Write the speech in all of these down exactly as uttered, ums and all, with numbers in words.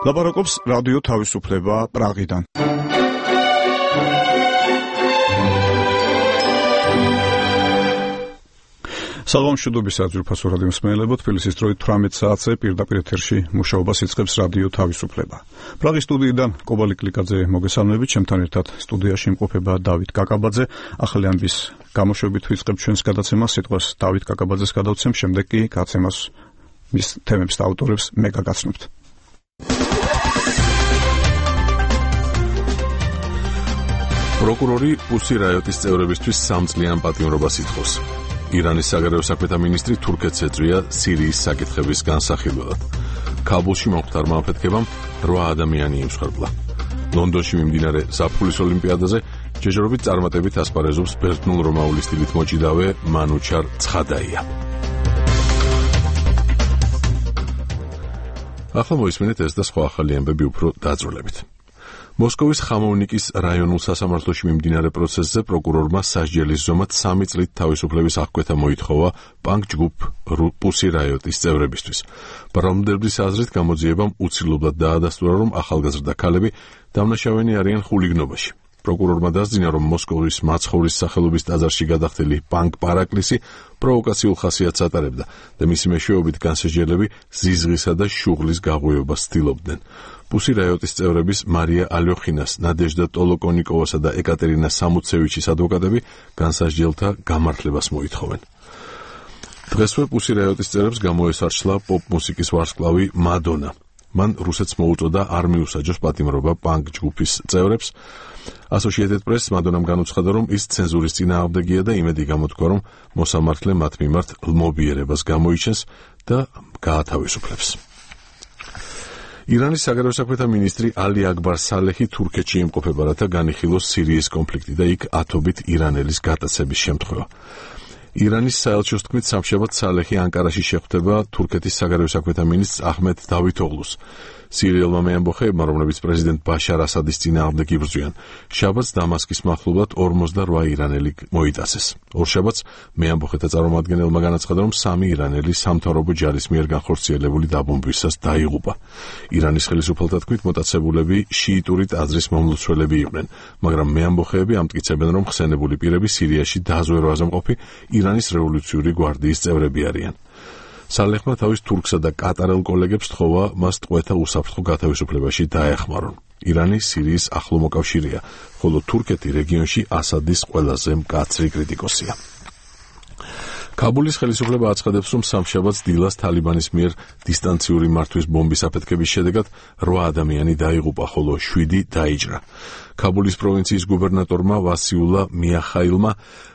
ლაპარაკობს რადიო თავისუფლება პრაღიდან. საღამო მშვიდობის საძირფასო რადიო მსმენელებო, თბილისის დროით თვრამეტ საათზე პირდაპირ ეთერში მუშაობას იწყებს რადიო თავისუფლება. პრაღის სტუდიიდან კობალი კლიკაძე მოგესალმებით, ჩემთან ერთად სტუდიაში იმყოფება დავით კაკაბაძე. ახალი ამბის გამოშვებით ვიწყებ ჩვენს გადაცემას, სიტყვას დავით კაკაბაძეს გადავცემ, შემდეგ კი გადაცემას მის თემებს და ავტორებს მე გაგაცნობთ. პროკურორი პუსი რაიოტის წევრებისთვის სამწლიან პატიმრობას ითხოვს. ირანის საგარეო საქმეთა მინისტრი თურქეთს ეწვია სირიის საკითხების განსახილველად. ქაბულში მომხდარმა აფეთქებამ რვა ადამიანი იმსხვერპლა. ლონდონში მიმდინარე ზაფხულის ოლიმპიადაზე ჯეჯორობით წარმატებით ასპარეზობს ბერძნულ-რომაული სტილით მოჭიდავე მანუჩარ ცხადაია. ახლა მოისმინეთ ეს და სხვა ახალი ამბები უფრო დაძროლებით. მოსკოვის ხამოვნიკის რაიონულ სასამართლოში მიმდინარე პროცესზე პროკურორმა სასჯელის ზომად სამი წლით თავისუფლების აღკვეთა მოითხოვა პანკ ჯგუფ პუსი რაიოტის წევრებისთვის. ბრალმდებლის აზრით გამოძიებამ უცილებლად დაადასტურა, რომ ახალგაზრდა ქალები დამნაშავენი არიან ხულიგნობაში. პროკურორმა დასძინა, რომ მოსკოვის მაცხოვრის სახელობის ტაძარში გადახდილი პანკ პარაკლისი პროვოკაციულ ხასიათს ატარებდა და მისი მეშვეობით განსაჯელები ზიზღისა და შუღლის გაღვივებას ცდილობდნენ. პუსი რაიოტის წევრების მარია ალიოხინას, ნადეჟდა ტოლოკონიკოვასა და ეკატერინა სამუცევიჩის ადვოკატები განსაჯელთა გამართლებას მოითხოვენ. დღესვე პუსი რაიოტის წევრებს გამოესარჩლა პოპ მუსიკის ვარსკვლავი მადონა. მან რუსეთს მოუწოდა არ მიუსაჯოს პატიმრობა პანკ ჯგუფის წევრებს. Associated Press მადონამ განუცხადა, რომ ის ცენზურის წინააღმდეგია და იმედი გამოთქვა, რომ მოსამართლე მათ მიმართ ლმობიერებას გამოიჩენს და გაათავისუფლებს. ირანის საგარეო საქმეთა მინისტრი ალი აკბარ სალეჰი თურქეთში იმყოფება, რათა განიხილოს სირიის კონფლიქტი და იქ ათობით ირანელის გატაცების შემთხვევა. ირანის საელჩოს თქმით, სამშაბათს სალეჰი ანკარაში შეხვდება თურქეთის საგარეო საქმეთა მინისტრს აჰმედ დავითოღლუს. სირიელმა მეამბოხეებმა, რომლებიც პრეზიდენტ ბაშარ ასადის წინააღმდეგ იბრძვიან, შაბათს დამასკის მახლობლად ორმოცდარვა ირანელი მოიტაცეს. ორშაბათს მეამბოხეთა წარმომადგენელმა განაცხადა, რომ სამი ირანელი სამთავრობო ჯარის მიერ განხორციელებული დაბომბვისას დაიღუპა. ირანის ხელისუფალთა თქმით, მოტაცებულები შიიტური ტაძრის მომლოცველები იყვნენ, მაგრამ მეამბოხეები ამტკიცებენ, რომ ხსენებული პირები სირიაში დაზვერვაზე მყოფი ირანის რევოლუციური გვარდიის წევრები არიან. სალეჰმა თავის თურქსა და კატარელ კოლეგებს თხოვა მას ტყვეთა უსაფრთხო გათავისუფლებაში დაეხმარონ. ირანი სირიის ახლო მოკავშირეა, ხოლო თურქეთი რეგიონში ასადის ყველაზე მკაცრი კრიტიკოსია. ქაბულის ხელისუფლება აცხადებს, რომ სამშაბათს დილას თალიბანის მიერ დისტანციური მართვის ბომბის აფეთქების შედეგად რვა ადამიანი დაიღუპა, ხოლო შვიდი დაიჭრა. ქაბულის პროვინციის გუბერნატორმა ვასიულა მიახაილმა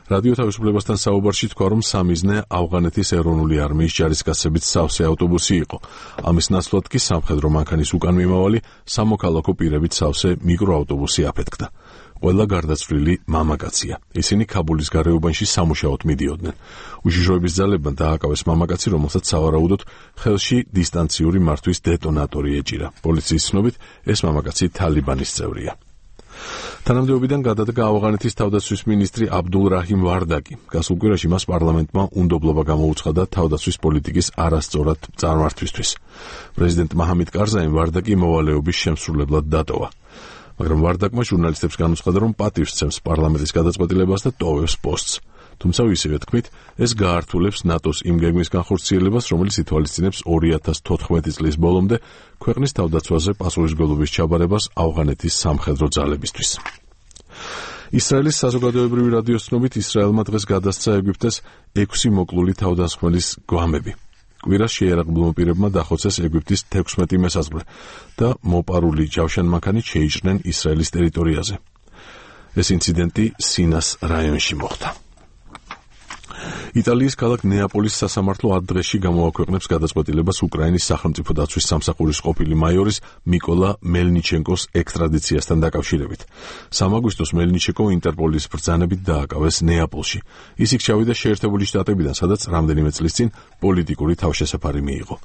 რადიო თავისუფლებასთან საუბარში თქვა, რომ სამიზნე ავღანეთის ეროვნული არმიის ჯარისკაცებით სავსე ავტობუსი იყო. ამის ნაცვლად კი სამხედრო მანქანის უკან მიმავალი სამოქალაქო პირებით სავსე მიკროავტობუსი აფეთქდა. ყველა გარდაცვლილი მამაკაცია. ისინი ქაბულის გარეუბანში სამუშაოდ მიდიოდნენ. უშიშროების ძალებმა დააკავეს მამაკაცი, რომელსაც სავარაუდოდ ხელში დისტანციური მართვის დეტონატორი ეჭირა. პოლიციის ცნობით, ეს მამაკაცი თალიბანის წევრია. თანამდებობიდან გადადგა ავღანეთის თავდაცვის მინისტრი აბდულ რაჰიმ ვარდაკი. გასულ კვირაში მას პარლამენტმა უნდობლობა გამოუცხადა თავდაცვის პოლიტიკის არასწორად წარმართვისთვის. პრეზიდენტ მაჰამედ კარზაიმ ვარდაკი მოვალეობის შემსრულებლად დატოვა. მაგრამ ვარდაკმა ჟურნალისტებს განუცხადა, რომ პატივს სცემს პარლამენტის გადაწყვეტილებას და ტოვებს პოსტს. თუმცა ისევე თქმით, ეს გაართულებს ნატოს იმ გეგმის განხორციელებას, რომელიც ითვალისწინებს ორი ათას თოთხმეტი წლის ბოლომდე ქვეყნის თავდაცვაზე პასუხისმგებლობის ჩაბარებას ავღანეთის სამხედრო ძალებისთვის. ისრაელის საზოგადოებრივი რადიოს ცნობით, ისრაელმა დღეს გადასცა ეგვიპტეს ექვსი მოკლული თავდამსხმელის გვამები. კვირას შეიარაღებულმა პირებმა დახოცეს ეგვიპტის თექვსმეტი მესაზღვრე და მოპარული ჯავშანმანქანით შეიჭრნენ ისრაელის ტერიტორიაზე. ეს ინციდენტი სინას რაიონში მოხდა. იტალიის ქალაქ ნეაპოლის სასამართლო ათ დღეში გამოაქვეყნებს გადაწყვეტილებას უკრაინის სახელმწიფო დაცვის სამსახურის ყოფილი მაიორის მიკოლა მელნიჩენკოს ექსტრადიციასთან დაკავშირებით. სამი აგვისტოს მელნიჩენკო ინტერპოლის ბრძანებით დააკავეს ნეაპოლში. ის იქ ჩავიდა შეერთებული შტატებიდან, სადაც რამდენიმე წლის წინ პოლიტიკური თავშესაფარი მიიღო.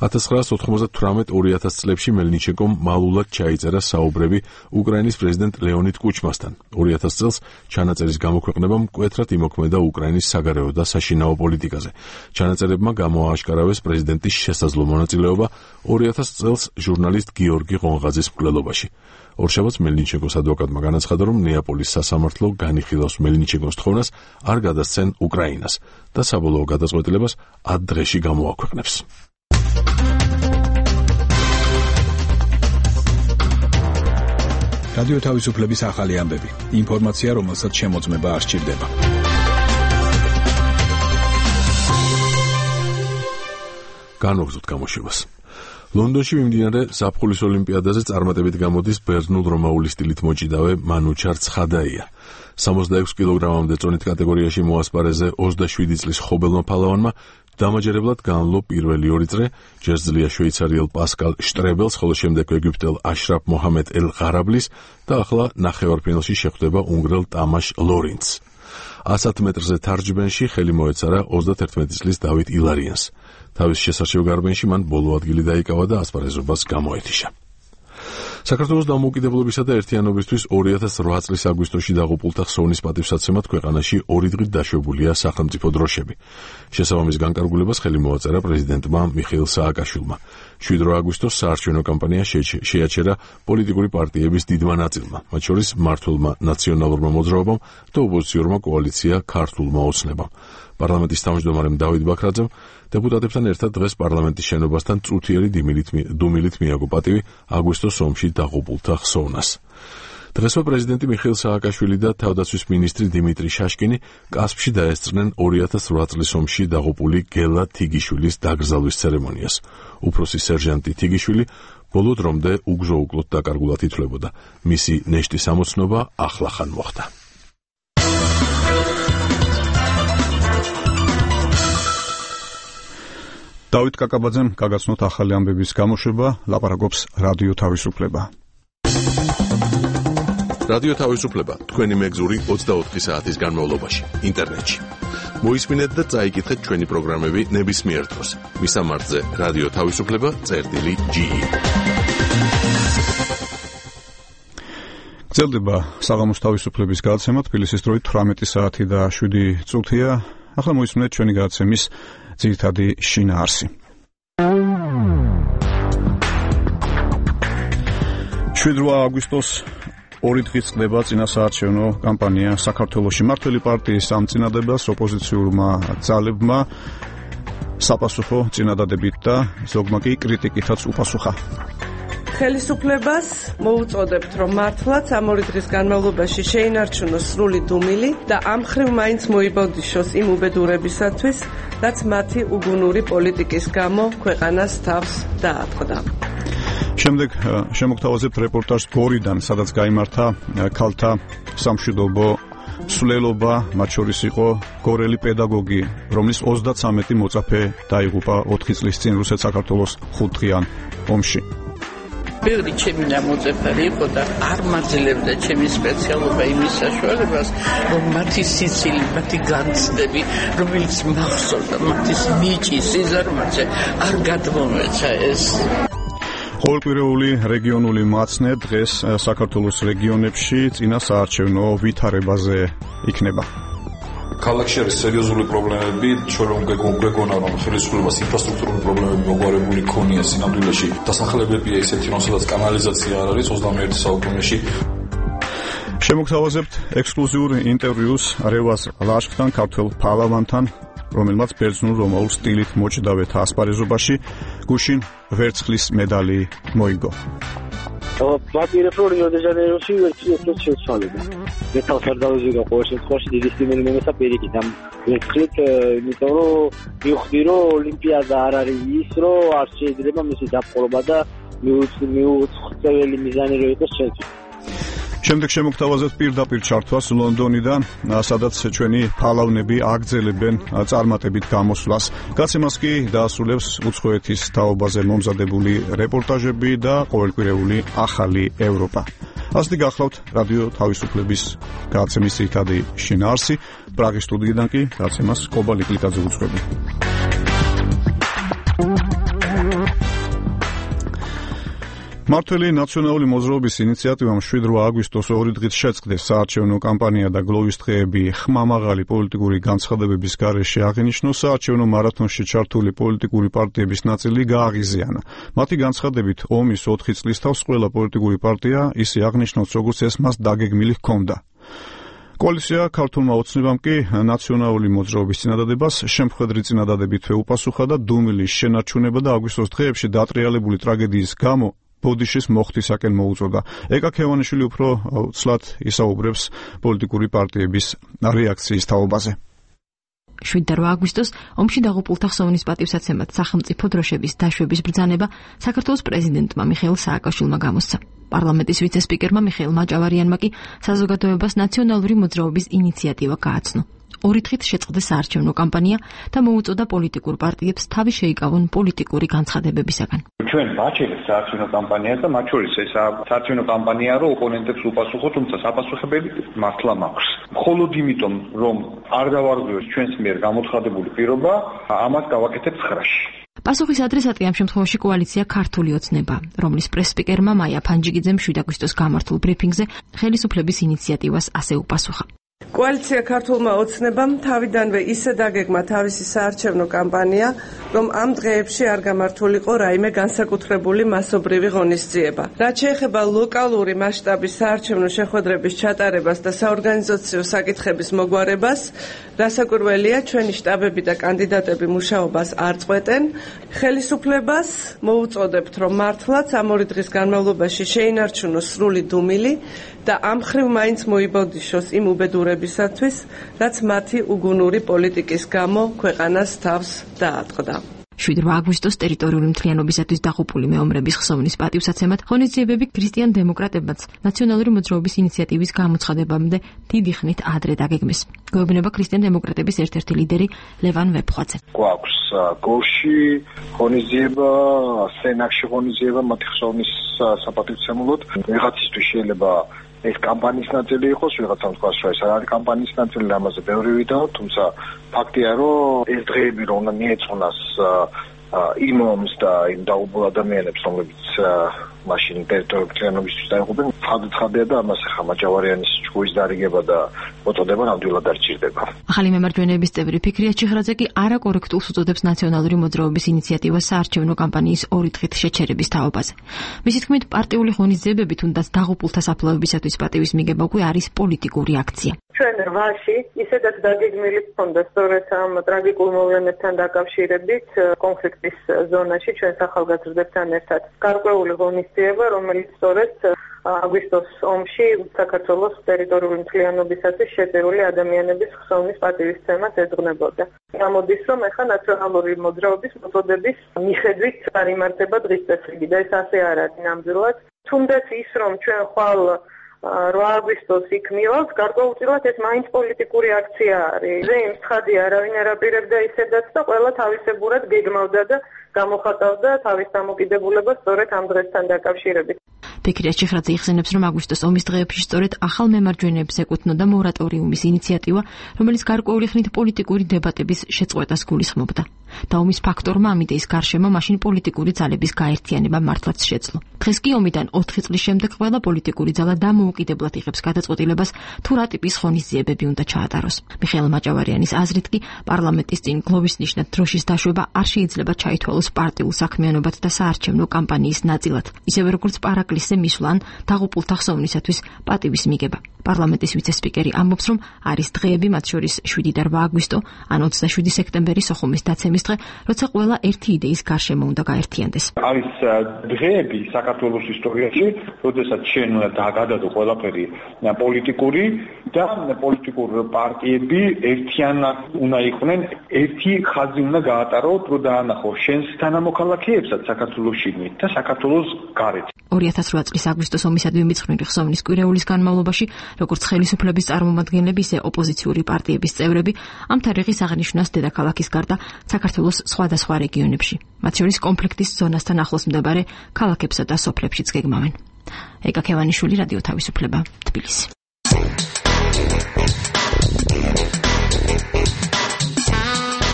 ათას ცხრაასი ოთხმოცდათვრამეტ ორი ათას წლებში მელნიჩენკომ მალულად ჩაიწერა საუბრები უკრაინის პრეზიდენტ ლეონიდ კუჩმასთან. ორი ათას წელს ჩანაწერის გამოქვეყნებამ მკვეთრად იმოქმედა უკრაინის საგარეო საგარეო და საშინაო პოლიტიკაზე. ჩანაწერებმა გამოააშკარავეს პრეზიდენტის შესაძლო მონაწილეობა ორი ათას წელს ჟურნალისტ გიორგი ყონღაძის მკვლელობაში. ორშაბათს მელნიჩენკოს ადვოკატმა განაცხადა, რომ ნეაპოლის სასამართლო განიხილავს მელნიჩენკოს თხოვნას არ გადასცენ უკრაინას და საბოლოო გადაწყვეტილებას ათ დღეში გამოაქვეყნებს. რადიო თავისუფლების ახალი ამბები. ინფორმაცია, რომელსაც შემოწმება არ სჭირდება. განვაგრძოთ გამოშვებას. ლონდონში მიმდინარე ზაფხულის ოლიმპიადაზე წარმატებით გამოდის ბერძნულ-რომაული სტილით მოჭიდავე მანუჩარ ცხადაია. სამოცდაექვსი კილოგრამამდე წონით კატეგორიაში მოასპარეზე ოცდაშვიდი წლის ხობელმა ფალავანმა დამაჯერებლად განლო პირველი ორი წრე, ჯერ ძლია შვეიცარიელ პასკალ შტრებელს, ხოლო შემდეგ ეგვიპტელ აშრაფ მოჰამედ ელ-ღარაბლის და ახლა ნახევარფინალში შეხვდება უნგრელ ტამაშ ლორინცს. ასათ მეტრზე თარჯბენში ხელი მოეცარა ოცდაერთმეტი წლის დავით ილარიანს. თავის შესარჩევ გარბენში მან ბოლო ადგილი დაიკავა და ასპარეზობას გამოეთიშა. საქართველოს დამოუკიდებლობისა და ერთიანობისთვის ორი ათას რვა წლის აგვისტოში დაღუპულთა ხსოვნის პატივსაცემად ქვეყანაში ორი დღით დაშვებულია სახელმწიფო დროშები. შესაბამის განკარგულებას ხელი მოაწერა პრეზიდენტმა მიხეილ სააკაშვილმა. შვიდ აგვისტოს საარჩევნო კამპანია შეაჩერა პოლიტიკური პარტიების დიდმა ნაწილმა, მათ შორის მმართველმა ნაციონალურმა მოძრაობამ და ოპოზიციურმა კოალიცია ქართულმა ოცნებამ. პარლამენტის თავმჯდომარემ დავით ბაქრაძემ დეპუტატებთან ერთად დღეს პარლამენტის შენობასთან წუთიერი დუმილით მიაგო პატივი აგვისტოს ომში დაღუპულთა ხსოვნას. დღესვე პრეზიდენტი მიხეილ სააკაშვილი და თავდაცვის მინისტრი დიმიტრი შაშკინი კასპში დაესწრნენ ორი ათას რვა წლის ომში დაღუპული გელა თიგიშვილის დაკრძალვის ცერემონიას. უფროსი სერჟანტი თიგიშვილი ბოლო დრომდე უგზო-უკლოდ დაკარგულად ითვლებოდა. მისი ნეშტის ამოცნობა ახლახან მოხდა. დავით კაკაბაძემ გაგაცნოთ ახალი ამბების გამოშვება, ლაპარაკობს რადიო თავისუფლება. რადიო თავისუფლება თქვენი მეგზური ოცდაოთხი საათის განმავლობაში ინტერნეტში. მოისმინეთ და წაიკითხეთ ჩვენი პროგრამები ნებისმიერ დროს. მისამართზე რადიო თავისუფლება წერტილი ჯი. გრძელდება საღამოს თავისუფლების გადაცემა, თბილისის დროით თვრამეტი საათი და შვიდი წუთია. ახლა მოისმინეთ ჩვენი გადაცემის ძირითადი შინაარსი. შვიდ აგვისტოს ორი დღით წყდება წინასაარჩევნო კამპანია საქართველოში. მმართველი პარტიის სამწინადებას ოპოზიციურმა ძალებმა საპასუხო წინადადებით და ზოგმა კი კრიტიკითაც უპასუხა. ხელისუფლებას მოუწოდებთ, რომ მართლაც ამ ორი დღის განმავლობაში შეინარჩუნოს სრული დუმილი და ამ მხრივ მაინც მოიბოდიშოს იმ უბედურებისათვის, რაც მათი უგუნური პოლიტიკის გამო ქვეყანას თავს დაატყდა. შემდეგ შემოგთავაზებთ რეპორტაჟს გორიდან, სადაც გაიმართა ქალთა სამშვიდობო სვლელობა, მათ შორის იყო გორელი პედაგოგი, რომლის ოცდაცამეტი მოწაფე დაიღუპა ოთხი წლის წინ რუსეთ-საქართველოს ხუთდღიან ომში. ბევრი ჩემი ნამოწეფარი იყო და არ მაძლევდა ჩემი სპეციალობა იმის საშუალებას, რომ მათი სიცილი, მათი განცდები, რომელიც მახსოვდა მათის ნიჭი, სიზარმაცე არ გადმომეცა ეს. ყოველკვირეული რეგიონული მაცნე დღეს საქართველოს რეგიონებში წინასაარჩევნო ვითარებაზე იქნება. ქალაქში არის სერიოზული პრობლემები, ჩვენ რომ გვეგონა რომ ხელისუფლებას ინფრასტრუქტურული პრობლემები მოგვარებული ქონია სინამდვილეში, დასახლებებია ისეთი, რომ სადაც კანალიზაცია არ არის ოცდამეერთე საუკუნეში. შემოგთავაზებთ ექსკლუზიურ ინტერვიუს რევაზ ლაშქთან, ქართველ ფალავანთან, რომელმაც ბერძნულ-რომაულ სტილით მოჭიდავეთა ასპარეზობაში გუშინ ვერცხლის медали მოიგო. მაპირებ რომ რიო-დე-ჟანეიროში ვერცხლით შეცვალება. მე თავს არ დავიზიგა ყოველ შემთხვევაში დიდი სტიმული მომეცა პირიქით ამ ვერცხლით, იმიტომ რომ მივხვდი რომ ოლიმპიადა არ არის ის, რომ არ შეიძლება მისი დაპყრობა და მიუწყვეტელი მიზანი რო იყოს ჩემთვის. შემდეგ შემოგთავაზებთ პირდაპირ ჩართვას ლონდონიდან, სადაც ჩვენი ფალავნები აგრძელებენ წარმატებით გამოსვლას. გაცემას კი დაასრულებს უცხოეთის თაობაზე მომზადებული რეპორტაჟები და ყოველკვირეული ახალი ევროპა. ასეთი გახლავთ რადიო თავისუფლების გადაცემის ძირითადი შინაარსი. პრაღის სტუდიიდან კი გაცემას კობალ იკლიკაძე უძღვები. მართველი ნაციონალური მოძრაობის ინიციატივამ შვიდ აგვისტოს ორი დღით შეწყდეს საარჩევნო კამპანია და გლოვის დღეები ხმამაღალი პოლიტიკური განცხადებების გარეშე აღინიშნოს საარჩევნო მარათონში ჩართული პოლიტიკური პარტიების ნაწილი გააღიზიანა. მათი განცხადებით ომის ოთხი წლის თავს ყველა პოლიტიკური პარტია ისე აღნიშნავს, როგორც ეს მას დაგეგმილი ჰქონდა. კოალიცია ქართულმა ოცნებამ კი ნაციონალური მოძრაობის წინადადებას შემხედრი წინადადებითვე უპასუხა და დუმილის შენარჩუნება და აგვისტოს დღეებში დატრიალებული ტრაგედიის გამო ბოდიშის მოხდისაკენ მოუწოდა. ეკა ქევანიშვილი უფრო ცლად ისაუბრებს პოლიტიკური პარტიების რეაქციის თაობაზე. შვიდ აგვისტოს ომში დაღუპულთა ხსოვნის პატივსაცემად სახელმწიფო დროშების დაშვების ბრძანება საქართველოს პრეზიდენტმა მიხეილ სააკაშვილმა გამოსცა. პარლამენტის ვიცე-სპიკერმა მიხეილ მაჭავარიანმა კი საზოგადოებას ნაციონალური მოძრაობის ინიციატივა გააცნო. ორი დღით შეწყდეს საარჩევნო კამპანია და მოუწოდა პოლიტიკურ პარტიებს თავი შეიკავონ პოლიტიკური განცხადებებისაგან. ჩვენ ვაჩერეთ საარჩევნო კამპანიას და მათ შორის ეს საარჩევნო კამპანია რო ოპონენტებს უპასუხო, თუმცა საპასუხებელი მართლა მაქვს. მხოლოდ იმიტომ, რომ არ დავარღვიოს ჩვენს მიერ გამოცხადებული პირობა, ამას გავაკეთებ ცხრაში. პასუხის ადრესატი ამ შემთხვევაში კოალიცია ქართული ოცნება, რომლის პრეს-სპიკერმა მაია ფანჯიგიძემ შვიდ აგვისტოს გამართულ ბრიფინგზე ხელისუფლების ინიციატივას ასე უპასუხა. კოალიცია ქართულმა ოცნებამ თავიდანვე ისე დაგეგმა თავისი საარჩევნო კამპანია, რომ ამ დღეებში არ გამართულიყო რაიმე განსაკუთრებული მასობრივი ღონისძიება. რაც შეეხება ლოკალური მასშტაბის საარჩევნო შეხვედრების ჩატარებას და საორგანიზაციო საკითხების მოგვარებას, რასაკვირველია, ჩვენი შტაბები და კანდიდატები მუშაობას არ წყვეტენ. ხელისუფლებას მოუწოდებთ, რომ მართლაც ამ ორი დღის განმავლობაში შეინარჩუნოს სრული დუმილი და ამ ხრივ მაინც მოიბოდიშოს იმ უბედურებისათვის, რაც მათი უგუნური პოლიტიკის გამო ქვეყანას თავს დაატყდა. შვიდ აგვისტოს ტერიტორიული მთლიანობისათვის დაღუპული მეომრების ხსოვნის პატივსაცემად ღონისძიებები ქრისტიან დემოკრატებმაც ნაციონალური მოძრაობის ინიციატივის გამოცხადებამდე დიდი ხნით ადრე დაგეგმეს. გვეუბნება ქრისტიან დემოკრატების ერთ-ერთი ლიდერი ლევან ვეფხვაძე. გვაქვს გოლში ღონისძიება, სენაკში ღონისძიება მათი ხსოვნის საპატივცემულოდ. ვიღაცისთვის შეიძლება ეს კამპანიის ნაწილი იყოს, ვიღაცამ თქვას, რომ ეს არ არის კამპანიის ნაწილი, ამაზე ბევრი ვიდაო, თუმცა ფაქტია, რომ ეს დღეები რომ უნდა მიეწონას იმ ომს და იმ დაუბულ ადამიანებს, რომლებიც მაშინ ტერიტორიებისთვის დაიღუპნენ, ხადცხადია და ამას ახლა მაჭავარიანის ჯგუფის დარიგება და მოწოდება ნამდვილად არ ჭირდება. ახალი მემარჯვენეების წევრი ფიქრია ჩიხრაძე კი არაკორექტულს უწოდებს ნაციონალური მოძრაობის ინიციატივას საარჩევნო კამპანიის ორი დღით შეჩერების თაობაზე. მისი თქმით, პარტიული ღონისძიებები თუნდაც დაღუპულთა საფლავებისათვის პატივის მიგება უკვე არის პოლიტიკური აქცია. ჩვენ რვაში ისედაც დაგეგმილი ჰქონდა სწორედ ამ ტრაგიკულ მოვლენებთან დაკავშირებით კონფლიქტის ზონაში ჩვენ სახალხოებთან ერთად გარკვეული ღონისძიება, რომელიც სწორედ აგვისტოს ომში საქართველოს ტერიტორიული მთლიანობისათვის შეწირული ადამიანების ხსოვნის პატივისცემას ეძღვნებოდა. გამოდის, რომ ახლა ნაციონალური მოძრაობის მოწოდების მიხედვით არიმართება დღის წესრიგი და ეს ასე არ არის ნამდვილად. თუნდაც ის, რომ ჩვენ ხვალ რვა აგვისტოს იქ მივალთ, გარკვეულწილად ეს მაინც პოლიტიკური აქცია არის. ზეიმ ცხადი არავინ არ აპირებდა ისედაც და ყველა თავისებურად გეგმავდა და გამოხატავდა თავის დამოკიდებულებას სწორედ ამ დღესთან დაკავშირებით. ფიქრია ჩიხრაძე იხსენებს, რომ აგვისტოს ომის დღეებში სწორედ ახალ მემარჯვენეებს ეკუთვნოდა მორატორიუმის ინიციატივა, რომელიც გარკვეული ხნით პოლიტიკური დებატების შეწყვეტას გულისხმობდა. და ომის ფაქტორმა ამ იდეის გარშემო მაშინ პოლიტიკური ძალების გაერთიანება მართლაც შეძლო. დღეს კი ომიდან ოთხი წლის შემდეგ ყველა პოლიტიკური ძალა დამოუკიდებლად იღებს გადაწყვეტილებას, თუ რა ტიპის ღონისძიებები უნდა ჩაატაროს. მიხეილ მაჭავარიანის აზრით კი პარლამენტის წინ გლოვის ნიშნად დროშის დაშვება არ შეიძლება ჩაითვალოს პარტიულ საქმიანობად და საარჩევნო კამპანიის ნაწილად, ისევე როგორც პარაკლისზე მისვლან დაღუპულთა ხსოვნისათვის პატივის მიგება. პარლამენტის ვიცე-სპიკერი ამბობს, რომ არის დღეები, მათ შორის შვიდი და რვა აგვისტო, ან ოცდაშვიდი სექტემბერი სოხუმის დაცემის დღე, როცა ყველა ერთი იდეის გარშემო უნდა გაერთიანდეს. არის დღეები საქართველოს ისტორიაში, როდესაც ჩვენ უნდა დაგადადო ყველაფერი პოლიტიკური და პოლიტიკურ პარტიები ერთიანად უნდა იყვნენ, ერთი ხაზი უნდა გაატაროთ, რომ დაანახო შენს თანამოქალაქეებსაც საქართველოს შიგნით და საქართველოს გარეთ. ორი ათას რვა წლის აგვისტოს ომისადმი მიძღვნილი ხსოვნის კვირეულის განმავლობაში, როგორც ხელისუფლების წარმომადგენლები, ისე ოპოზიციური პარტიების წევრები ამ თარიღის აღნიშვნას დედაქალაქის გარდა საქართველოს სხვადასხვა რეგიონებში, მათ შორის კონფლიქტის ზონასთან ახლოს მდებარე ქალაქებსა და სოფლებშიც გეგმავენ. ეკა ქევანიშვილი, რადიო თავისუფლება, თბილისი.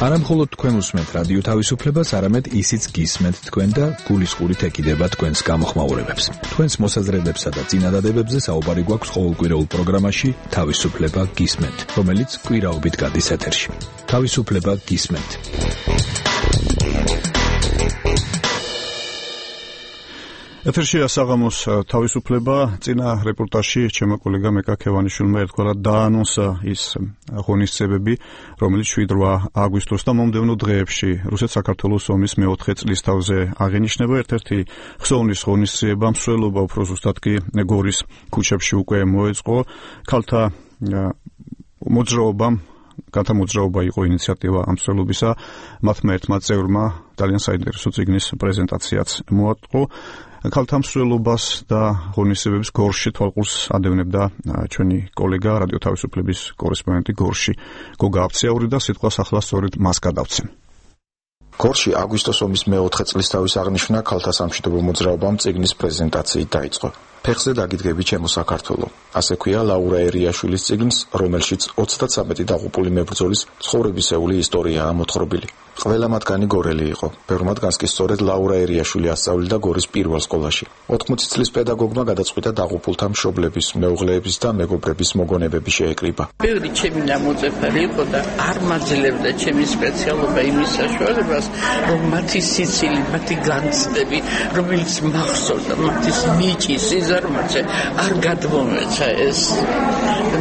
არა მხოლოდ თქვენ უსმენთ რადიო თავისუფლებას, არამედ ისიც გისმენთ თქვენ და გულისყურით ეკიდება თქვენს გამოხმაურებებს. თქვენს მოსაზრებებსა და წინადადებებზე საუბარი გვაქვს ყოველკვირეულ პროგრამაში თავისუფლება გისმენთ, რომელიც კვირაობით გადის ეთერში. თავისუფლება გისმენთ. ეთერშია საღამოს თავისუფლება. წინა რეპორტაჟში ჩემო კოლეგა მეკა ქევანიშვილმა ერთგვარად დაანონსა ის ღონისძიებები, რომელიც შვიდ-რვა აგვისტოს და მომდევნო დღეებში რუსეთ-საქართველოს ომის მეოთხე წლისთავზე აღინიშნება. ერთ-ერთი ხსოვნის ღონისძიება მსვლელობა უფრო ზუსტად კი გორის ქუჩებში უკვე მოეწყო. ქალთა მოძრაობამ კალთა მოძრაობა იყო ინიციატივა ამ მსვლელობისა. მათმა ერთმა წევრმა ძალიან საინტერესო წიგნის პრეზენტაციაც მოატყო. ქალთა მსვლელობას და ღონისძიებების გორში თვალყურს ადევნებდა ჩვენი კოლეგა რადიო თავისუფლების კორესპონდენტი გორში გოგა აფციაური და სიტყვას ახლა სწორედ მას გადავცემ. გორში აგვისტოს ომის მეოთხე წლისთავის აღნიშვნა ქალთა სამშვიდობო მოძრაობამ წიგნის პრეზენტაციით დაიწყო. ფეხზე დაგიდგები ჩემო საქართველო. ასე ქვია ლაურა ერიაშვილის წიგნს, რომელშიც ოცდათსამეტი დაღუპული მებრძოლის ცხოვრებისეული ისტორიაა მოთხრობილი. ყველა მათგანი გორელი იყო. ბევრ მათგანს კი სწორედ ლაურა ერიაშვილი ასწავლიდა გორის პირველ სკოლაში. ოთხმოცი წლის პედაგოგმა გადაწყვიტა დაღუპულთა მშობლების, მეუღლეების და მეგობრების მოგონებები შეეკრიბა. ბევრი ჩემი ნამოწეფარი იყო და არ მაძლევდა ჩემი სპეციალობა იმის საშუალებას, რომ მათი სიცილი, მათი განცდები, რომელიც მახსოვდა, მათი ნიჭი, სიზარმაცე არ გადმომეცა ეს.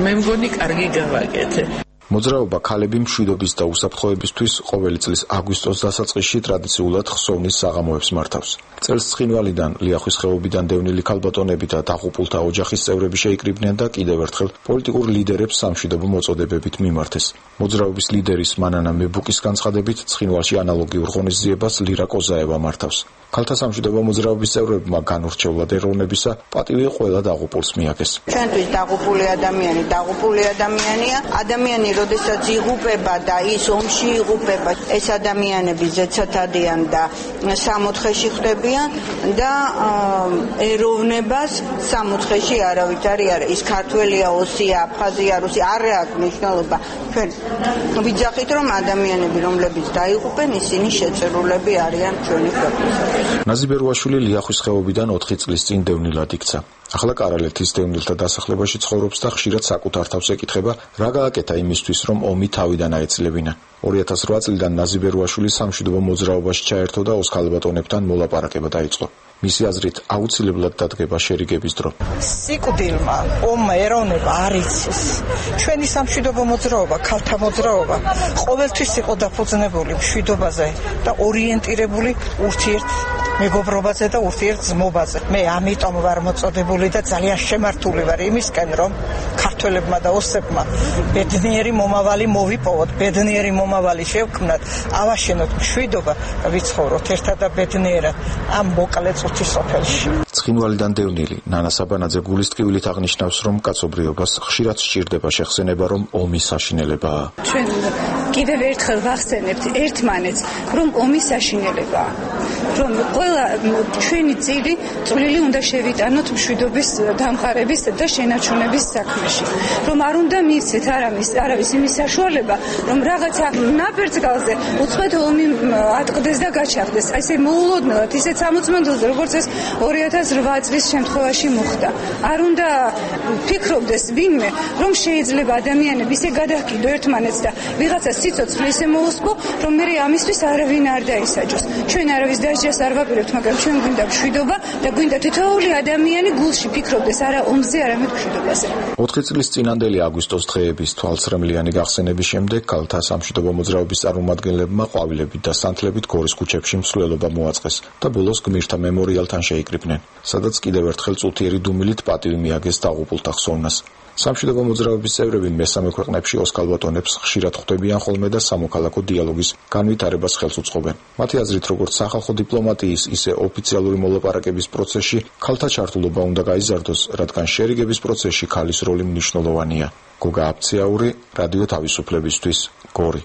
მე მგონი კარგი გავაკეთე. მოძრაობა ქალები მშვიდობის და უსაფრთხოებისთვის ყოველი წლის აგვისტოს დასაწყისში ტრადიციულად ხსოვნის საღამოებს მართავს. წელს ცხინვალიდან, ლიახვის ხეობიდან დევნილი ქალბატონები და დაღუპულთა ოჯახის წევრები შეიკრიბნენ და კიდევ ერთხელ პოლიტიკურ ლიდერებს სამშვიდობო მოწოდებებით მიმართეს. მოძრაობის ლიდერის მანანა მებუკის განცხადებით, ცხინვალში ანალოგიურ ღონისძიებას ლირა კოზაევა მართავს. ქალთა სამშვიდობო მოძრაობის წევრებმა განურჩევლად ეროვნებისა პატივი ყველა დაღუპულს მიაგეს. ჩვენთვის დაღუპული ადამიანი დაღუპული ადამიანია. ადამიანი როდესაც იღუპება და ის ომში იღუპება, ეს ადამიანები ზეცათადიან და სამოთხეში ხდებიან და ეროვნებას სამოთხეში არავითარი არა. ის ქართველია, ოსია, აფხაზია, რუსი არ აქვს მნიშვნელობა. ჩვენ ვიძახით, რომ ადამიანები, რომლებიც დაიღუპენ, ისინი შეწირულები არიან ჩვენი ქვეყნისათვის. ნაზიბერუაშვილი ლიახვის ხეობიდან ოთხი წლის წინ დევნილად იქცა. ახლა კარალეთის დევნილთა დასახლებაში ცხოვრობს და ხშირად საკუთარ თავს ეკითხება, რა გააკეთა იმისთვის, რომ ომი თავიდან აეცილებინა. ორი ათას რვა წლიდან ნაზიბერუაშვილი სამშვიდობო მოძრაობაში ჩაერთო და ოსქალბატონებთან მოლაპარაკება დაიწყო. მისი აზრით აუცილებლად დადგება შერიგების დრო. სიკვდილმა ომმა ეროვნება არ იცის. ჩვენი სამშვიდობო მოძრაობა, ქალთა მოძრაობა ყოველთვის იყო დაფუძნებული მშვიდობაზე და ორიენტირებული ურთიერთ მეგობრობაზე და ურთიერთ ძმობაზე. მე ამიტომ ვარ მოწოდებული და ძალიან შემართული ვარ იმისკენ, რომ ქართველებმა და ოსებმა ბედნიერი მომავალი მოვიპოვოთ, ბედნიერი მომავალი შევქმნათ, ავაშენოთ მშვიდობა და ვიცხოვროთ ერთად და ბედნიერად ამ მოკლე წუთის სოფელში. ცხინვალიდან დევნილი ნანა საბანაძე გულისტკივილით აღნიშნავს, რომ კაცობრიობას ხშირად სჭირდება შეხსენება, რომ ომის საშინელებაა. ჩვენ კიდევ ერთხელ ვახსენებთ ერთმანეთს, რომ ომის საშინელებაა. რომ ყველა ჩვენი წილი წვლილი უნდა შევიტანოთ მშვიდობის დამყარების და შენარჩუნების საქმეში. რომ არ უნდა მიცეთ არავის არავის იმის საშუალება, რომ რაღაცა ნაბერძგალზე უცხოეთ ომი ატყდეს და გაჩაღდეს. აი ესე მოულოდნელად, ისე სამოწმენდელზე, როგორც ეს ორი ათას რვა წლის შემთხვევაში მოხდა. არ უნდა ფიქრობდეს ვინმე, რომ შეიძლება ადამიანები ისე გადაჰკიდო ერთმანეთს და ვიღაცა სიცოცხლე ისე მოუსკო, რომ მე ამისთვის არავინ არ დაისაჯოს. ჩვენ არავის დასჯას არ ვაპირებთ, მაგრამ ჩვენ გვინდა მშვიდობა და გვინდა თითოეული ადამიანი გულში ფიქრობდეს არა ომზე, არამედ მშვიდობაზე. ოთხი წლის წინანდელი აგვისტოს დღეების თვალსწრემლიანი გახსენების შემდეგ ქალთა სამშვიდობო მოძრაობის წარმომადგენლებმა ყვავილებით და სანთლებით გორის ქუჩებში მსვლელობა მოაწყეს და ბოლოს გმირთა მემორიალთან შეიკრიბნენ, სადაც კიდევ ერთხელ წუთიერი დუმილით პატივი მიაგეს დაღუპულთა ხსოვნას. სამშვიდობო მოძრაობის წევრები მესამე ქვეყნებში ოსქალბატონებს ხშირად ხვდებიან ხოლმე და სამოქალაქო დიალოგის განვითარებას ხელს უწყობენ. მათი აზრით, როგორც სახალხო დიპლომატიის, ისე ოფიციალური მოლაპარაკების პროცესში ქალთა ჩართულობა უნდა გაიზარდოს, რადგან შერიგების პროცესში ქალის როლი მნიშვნელოვანია. გოგა აფციაური, რადიო თავისუფლებისთვის, გორი.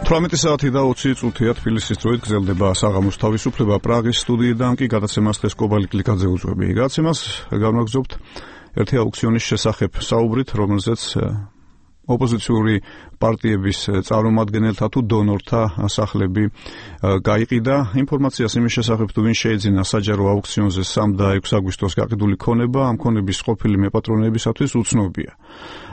თვრამეტი საათი და ოცი წუთია თბილისის დროით გრძელდება საღამოს თავისუფლება. პრაღის სტუდიიდან კი გადაცემას დღეს კობალი კლიკაძე უძღვები. გადაცემას განვაგრძობთ ერთი აუქციონის შესახებ საუბრით, რომელზეც ოპოზიციური პარტიების წარმომადგენელთა თუ დონორთა სახლები გაიყიდა. ინფორმაციას იმის შესახებ, თუ ვინ შეეძინა საჯარო აუქციონზე სამი და ექვსი აგვისტოს გაყიდული ქონება, ამ ქონების ყოფილი მეპატრონეებისათვის უცნობია.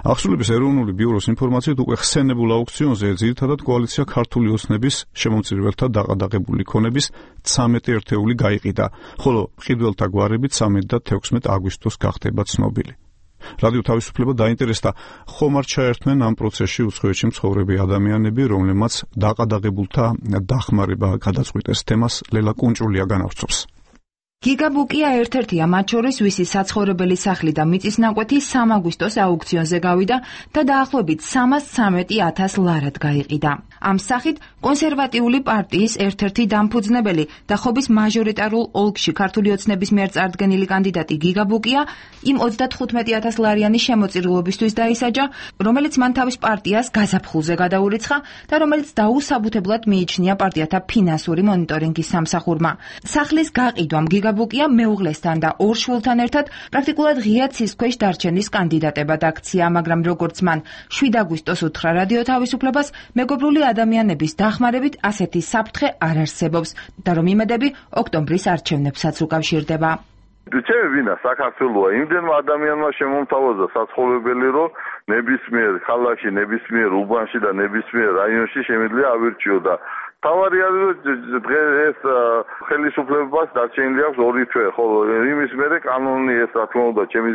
აღსრულების ეროვნული ბიუროს ინფორმაციით, უკვე ხსენებულ აუქციონზე ძირითადად კოალიცია ქართული ოცნების შემომწირველთა დაყადაღებული ქონების ცამეტი ერთეული გაიყიდა, ხოლო მყიდველთა გვარებით ცამეტი და თექვსმეტი აგვისტოს გახდება ცნობილი. რადიო თავისუფლება დაინტერესდა, ხომ არ ჩაერთმენ ამ პროცესში უცხოეთში მცხოვრები ადამიანები, რომლებმაც დაყადაღებულთა დახმარება გადაწყვიტეს. თემას ლელა კუნჭულია განავრცობს. გიგაბუკია ერთ-ერთია მათ შორის, ვისი საცხოვრებელი სახლი და მიწის ნაკვეთი სამი აგვისტოს აუქციონზე გავიდა და დაახლოებით სამას ცამეტი ათას ლარად გაიყიდა. ამ სახით კონსერვატიული პარტიის ერთ-ერთი დამფუძნებელი და ხობის მაჟორიტარულ ოლქში ქართული ოცნების მიერ წარდგენილი კანდიდატი გიგაბუკია იმ ოცდათხუთმეტი ათას ლარიანი შემოწირულობისთვის დაისაჯა, რომელიც მან თავის პარტიას გაზაფხულზე გადაურიცხა და რომელიც დაუსაბუთებლად მიიჩნია პარტიათა ფინანსური მონიტორინგის სამსახურმა. სახლის გაყიდვამ გიგაბუკია მეუღლესთან და ორ შვილთან ერთად პრაქტიკულად ღია ცისქვეშ დარჩენის კანდიდატებად აქცია, მაგრამ როგორც მან შვიდი აგვისტოს უთხრა რადიო თავისუფლებას, მეგობრული ადამიანების დახმარებით ასეთი საფრთხე არ არსებობს და რომ იმედები ოქტომბრის არჩევნებსაც უკავშირდება. ჩემი ვინა საქართველოა, იმდენმა ადამიანმა შემომთავაზა საცხოვრებელი, რომ ნებისმიერ ქალაქში, ნებისმიერ უბანში და ნებისმიერ რაიონში შემიძლია ავირჩიო. თავარი არის, რომ დღეს ხელისუფლებას დარჩენილი აქვს ორი თვე, ხოლო იმის მერე კანონი ეს რა თქმა უნდა ჩემი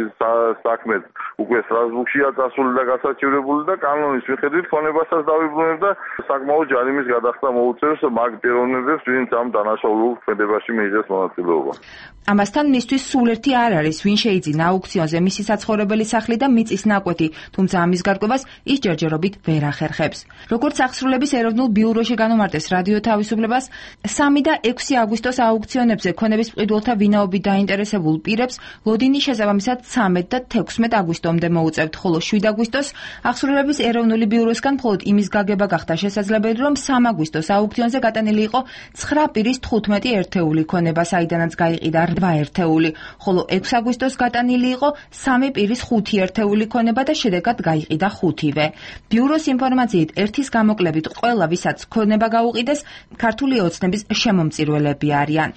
საქმე უკვე სტრასბურგშია წასული და გასაჩივრებული და კანონის მიხედვით ქონებასაც დავიბრუნებ და საკმაოდ ჯარიმის გადახდა მოუწევს მაგ პიროვნებებს, ვინც ამ დანაშაულულ ქმედებაში მიიღეს მონაწილეობა. ამასთან მისთვის სულ ერთი არ არის, ვინ შეიძინა აუქციონზე მისი საცხოვრებელი სახლი და მიწის ნაკვეთი, თუმცა ამის გარკვევას ის ჯერჯერობით ვერ ახერხებს. როგორც აღსრულების ეროვნულ ბიუროში განამარტეს რადიო თავისუფლებას, სამი და ექვსი აგვისტოს აუქციონებზე ქონების მყიდველთა ვინაობით დაინტერესებულ პირებს ლოდინი შესაბამისად ცამეტი და თექვსმეტი აგვისტომდე მოუწევთ, ხოლო შვიდი აგვისტოს აღსრულების ეროვნული ბიუროსგან მხოლოდ იმის გაგება გახდა შესაძლებელი, რომ სამი აგვისტოს აუქციონზე გატანილი იყო ცხრა პირის თხუთმეტი ერთეული ქონება, საიდანაც გაიყიდა რვა ერთეული, ხოლო ექვსი აგვისტოს გატანილი იყო სამი პირის ხუთი ერთეული ქონება და შედეგად გაიყიდა ხუთივე. ბიუროს ინფორმაციით, ერთის გამოკლებით ყველა, ვისაც ქონება გაუყიდეს, ქართული ოცნების შემომწირველები არიან.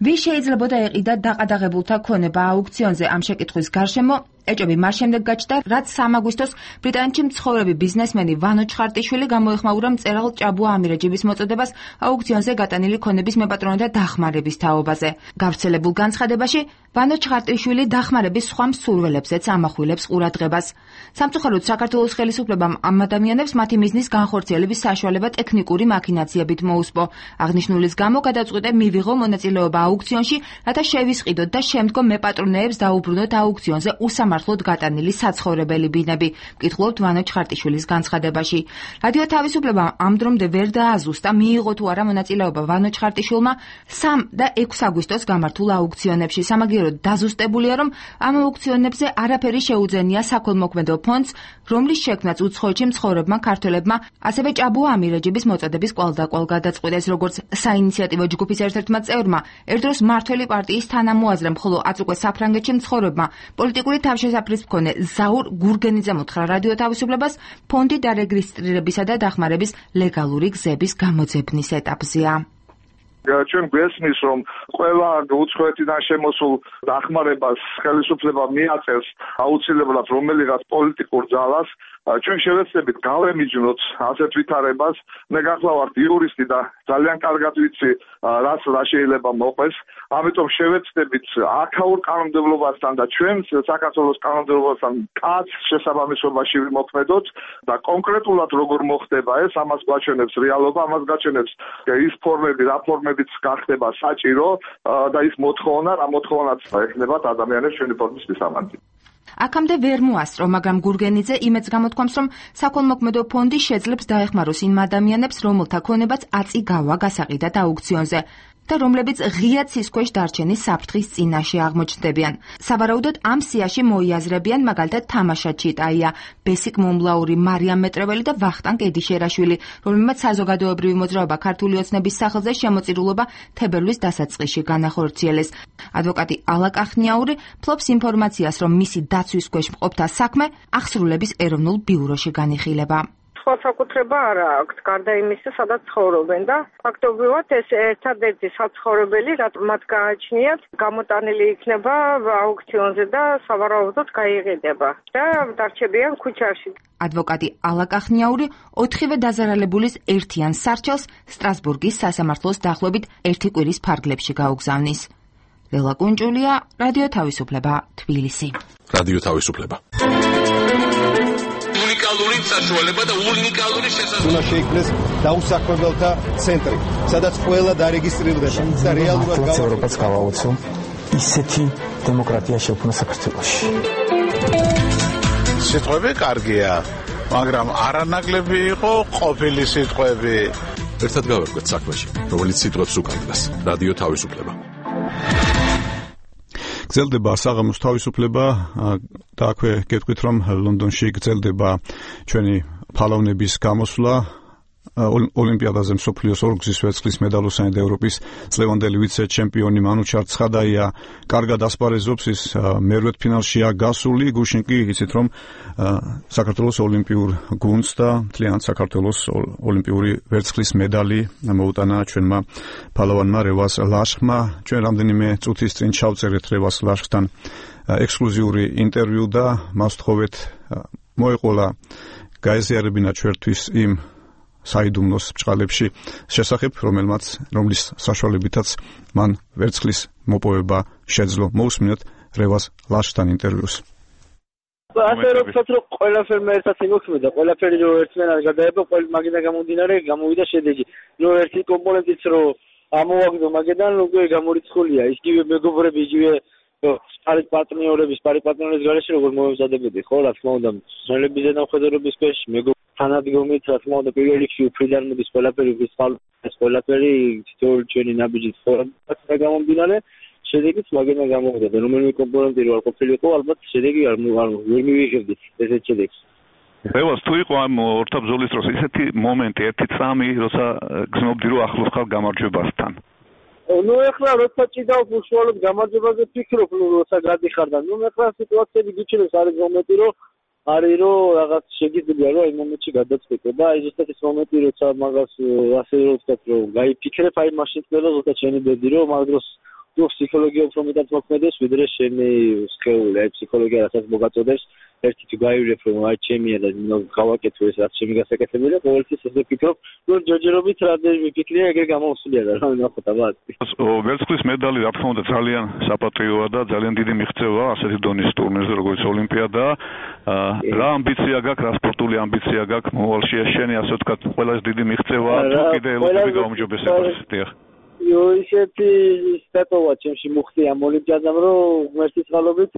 ვის შეიძლებოდა ეყიდა დაყადაღებულთა ქონება აუქციონზე? ამ შეკითხვის გარშემო ეჭვები მას შემდეგ გაჩნდა, რაც სამი აგვისტოს ბრიტანეთში მცხოვრები ბიზნესმენი ვანო ჩხარტიშვილი გამოეხმაურა მწერალ ჭაბუა ამირეჯიბის მოწოდებას აუქციონზე გატანილი ქონების მეპატრონეთა დახმარების თაობაზე. გავრცელებულ განცხადებაში ვანო ჩხარტიშვილი დახმარების სხვა მსურველებზეც ამახვილებს ყურადღებას. სამწუხაროდ საქართველოს ხელისუფლებამ ამ ადამიანებს მათი მიზნის განხორციელების საშუალება ტექნიკური მაქინაციებით მოუსპო. აღნიშნულის გამო გადაწყვიტე მივიღო მონაწილეობა აუქციონში, რათა შევისყიდოთ და შემდგომ მეპატრონეებს დაუბრუნოთ აუქციონზე უსამართლოდ გატანილი საცხოვრებელი ბინები, მკითხულობთ ვანო ჩხარტიშვილის განცხადებაში. რადიო თავისუფლებამ ამ დრომდე ვერ დააზუსტა, მიიღო თუ არა მონაწილეობა ვანო ჩხარტიშვილმა სამი და ექვსი აგვისტოს გამართულ აუქციონებში. სამაგიეროდ დაზუსტებულია, რომ ამ აუქციონებზე არაფერი შეუძენია საქველმოქმედო ფონდს, რომლის შექმნაც უცხოეთში მცხოვრებმა ქართველებმა, ასევე ჭაბუა ამირეჯიბის მოწოდების კვალდაკვალ გადაწყვიტეს, როგორც საინიციატივო ჯგუფის ერთ-ერთმა წევრმა, ერთდროს მართველი პარტიის თანამოაზრემ, ხოლო აწ უკვე საფრანგეთში მცხოვრებმა პოლიტიკური თავშესაფრის მქონე ზაურ გურგენიძემ უთხრა რადიო თავისუფლებას, ფონდი დარეგისტრირებისა და დახმარების ლეგალური გზების გამოძებნის ეტაპზეა. ჩვენ გვესმის, რომ ყველა უცხოეთიდან შემოსულ დახმარებას ხელისუფლება მიაწევს აუცილებლად რომელიღაც პოლიტიკურ ძალას. ჩვენ შევეცდებით გავემიჯნოთ ასეთ ვითარებას. მე გახლავართ იურისტი და ძალიან კარგად ვიცი, რაც რა შეიძლება მოყვეს. ამიტომ შევეცდებით აქაურ კანონმდებლობასთან და ჩვენ საქართველოს კანონმდებლობასთან კაც შესაბამისობაში ვიმოქმედოთ და კონკრეტულად როგორ მოხდება ეს, ამას გვაჩვენებს რეალობა, ამას გაჩვენებს ის ფორმები, რა ფორმებიც გახდება საჭირო და ის მოთხოვნა, რა მოთხოვნაც ექნებათ ადამიანებს ჩვენი ფორმის მისამართი. აქამდე ვერ მოასწრო, მაგრამ გურგენიძე იმედს გამოთქვამს, რომ საქველმოქმედო ფონდი შეძლებს დაეხმაროს იმ ადამიანებს, რომელთა ქონებაც აწი გავა გასაყიდად აუქციონზე. და რომლებიც ღია ცის ქვეშ დარჩენის საფრთხის წინაშე აღმოჩნდებიან. სავარაუდოდ ამ სიაში მოიაზრებიან მაგალითად თამაშა ჩიტაია, ბესიკ მომლაური, მარიამ მეტრეველი და ვახტანგ ედიშერაშვილი, რომელმაც საზოგადოებრივი მოძრაობა ქართული ოცნების სახელზე შემოწირულობა თებერვლის დასაწყისში განახორციელეს. ადვოკატი ალა კახნიაური ფლობს ინფორმაციას, რომ მისი დაცვის ქვეშ მყოფთა საქმე აღსრულების ეროვნულ ბიუროში განიხილება. სხვა საკუთრება არ აქვს, გარდა იმისა, სადაც ცხოვრობენ და ფაქტობრივად ეს ერთადერთი საცხოვრებელი, რაც მათ გააჩნიათ, გამოტანილი იქნება აუქციონზე და სავარაუდოდ გაიყიდება და დარჩებიან ქუჩაში. ადვოკატი ალა კახნიაური ოთხივე დაზარალებულის ერთიან სარჩელს სტრასბურგის სასამართლოს დაახლოებით ერთი კვირის ფარგლებში გაუგზავნის. ლელა კუნჭულია, რადიო თავისუფლება, თბილისი. რადიო თავისუფლება. უნიკალური საშუალება და უნიკალური შესაძლებლობა. უნდა შეიქმნეს დაუსაქმებელთა ცენტრი, სადაც ყველა დარეგისტრირდება და რეალურად გავაუწყოთ გავაუწყო ისეთი დემოკრატია შექმნა საქართველოში. სიტყვები კარგია, მაგრამ არანაკლები იყო ყოფილი სიტყვები. ერთად გავერკვეთ საქმეში, რომელიც სიტყვებს უკანდას. რადიო თავისუფლება. გრძელდება საღამოს თავისუფლება და აქვე გეტყვით, რომ ლონდონში გრძელდება ჩვენი ფალავნების გამოსვლა ოლიმპიადაზე მსოფლიოს ორგზის ვერცხლის მედალოსანი და ევროპის წლევანდელი ვიცე-ჩემპიონი მანუჩარ ცხადაია კარგად ასპარეზობს, ის მერვედფინალშია გასული. გუშინ კი იცით, რომ საქართველოს ოლიმპიურ გუნდს და მთლიანად საქართველოს ოლიმპიური ვერცხლის მედალი მოუტანა ჩვენმა ფალავანმა რევას ლაშხმა. ჩვენ რამდენიმე წუთის წინ ჩავწერეთ რევას ლაშხთან ექსკლუზიური ინტერვიუ და მას ვთხოვეთ მოეყოლა გაეზიარებინა ჩვენთვის იმ საიდუმლოს ბჭყალებში შესახებ, რომელმაც რომლის საშუალებითაც მან ვერცხლის მოპოვება შეძლო. მოусმინოთ რევას ლაშხთან ინტერვიუს. ასე რომ ვთქვათ, რომ ყველაფერმა ერთად იმოქმედა, ყველაფერი რო ერთმანეთს გადაება, ყველ მაგიდან გამომდინარე გამოვიდა შედეგი. რო ერთი კომპონენტიც რო ამოვაგდო მაგედან, უკვე გამორიცხულია. ისივე მეგობრები, იგივე პარი პარტნიორების, პარი პარტნიორების გარეშე როგორ მოემზადებოდი, ხო, რა თქმა უნდა, ცნობების ზედამხედველობის ქვეშ მეგობრები თანადგომით, რა თქმა უნდა, პირველ რიგში უფრიდან მოდის ყველაფერი, ეს ყველაფერი თითოეული ჩვენი ნაბიჯი ცხოვრება გამომდინარე, შედეგიც მაგედან გამოვიდა და რომელიმე კომპონენტი რო არ ყოფილიყო, ალბათ შედეგი არ ვერ მივიღებდით ესეთ შედეგს. რევას, თუ იყო ამ ორთაბრძოლის დროს ისეთი მომენტი, ერთი წამი, როცა გზნობდი, რომ ახლოს ხარ გამარჯვებასთან. ნუ ეხლა როცა ჭიდავს უშუალოდ გამარჯვებაზე ფიქრობ, ნუ როცა გადიხარ და ნუ ეხლა სიტუაციები გიჩნევს, არის მომენტი, რომ არის რომ რაღაც შეგიძლია რომ აი მომენტში გადაწყვეტო და აი ზუსტად ეს მომენტი როცა მაგას ასე რომ ვთქვათ რომ გაიფიქრებ აი მაშინ ყველა ზუსტად შენი ბედი რომ მაგ დროს თუ ფსიქოლოგია უფრო მეტად მოქმედებს ვიდრე შენი სქეული აი ფსიქოლოგია რასაც მოგაწოდებს ერთი თუ გაივლებ რომ აი ჩემია და გავაკეთო ეს რაც ჩემი გასაკეთებელია ყოველთვის ესე ვფიქრობ რომ ჯერჯერობით რამდენიმე ფიქრია ეგრე გამოსულია და რა ნახოთ აბა ვერცხლის მედალი რა თქმა უნდა ძალიან საპატრიოა და ძალიან დიდი მიღწევა ასეთი დონის ტურნირზე როგორც ოლიმპიადა რა ამბიცია გაქვს რა სპორტული ამბიცია გაქვს მოვალში შენი ასე ვთქვათ ყველაზე დიდი მიღწევა თუ კიდე ელოდები გაუმჯობესებას დიახ იო ისეთი სტატოვა ჩემში მოხდი ამ ოლიმპიადამ რომ ღმერთის წყალობით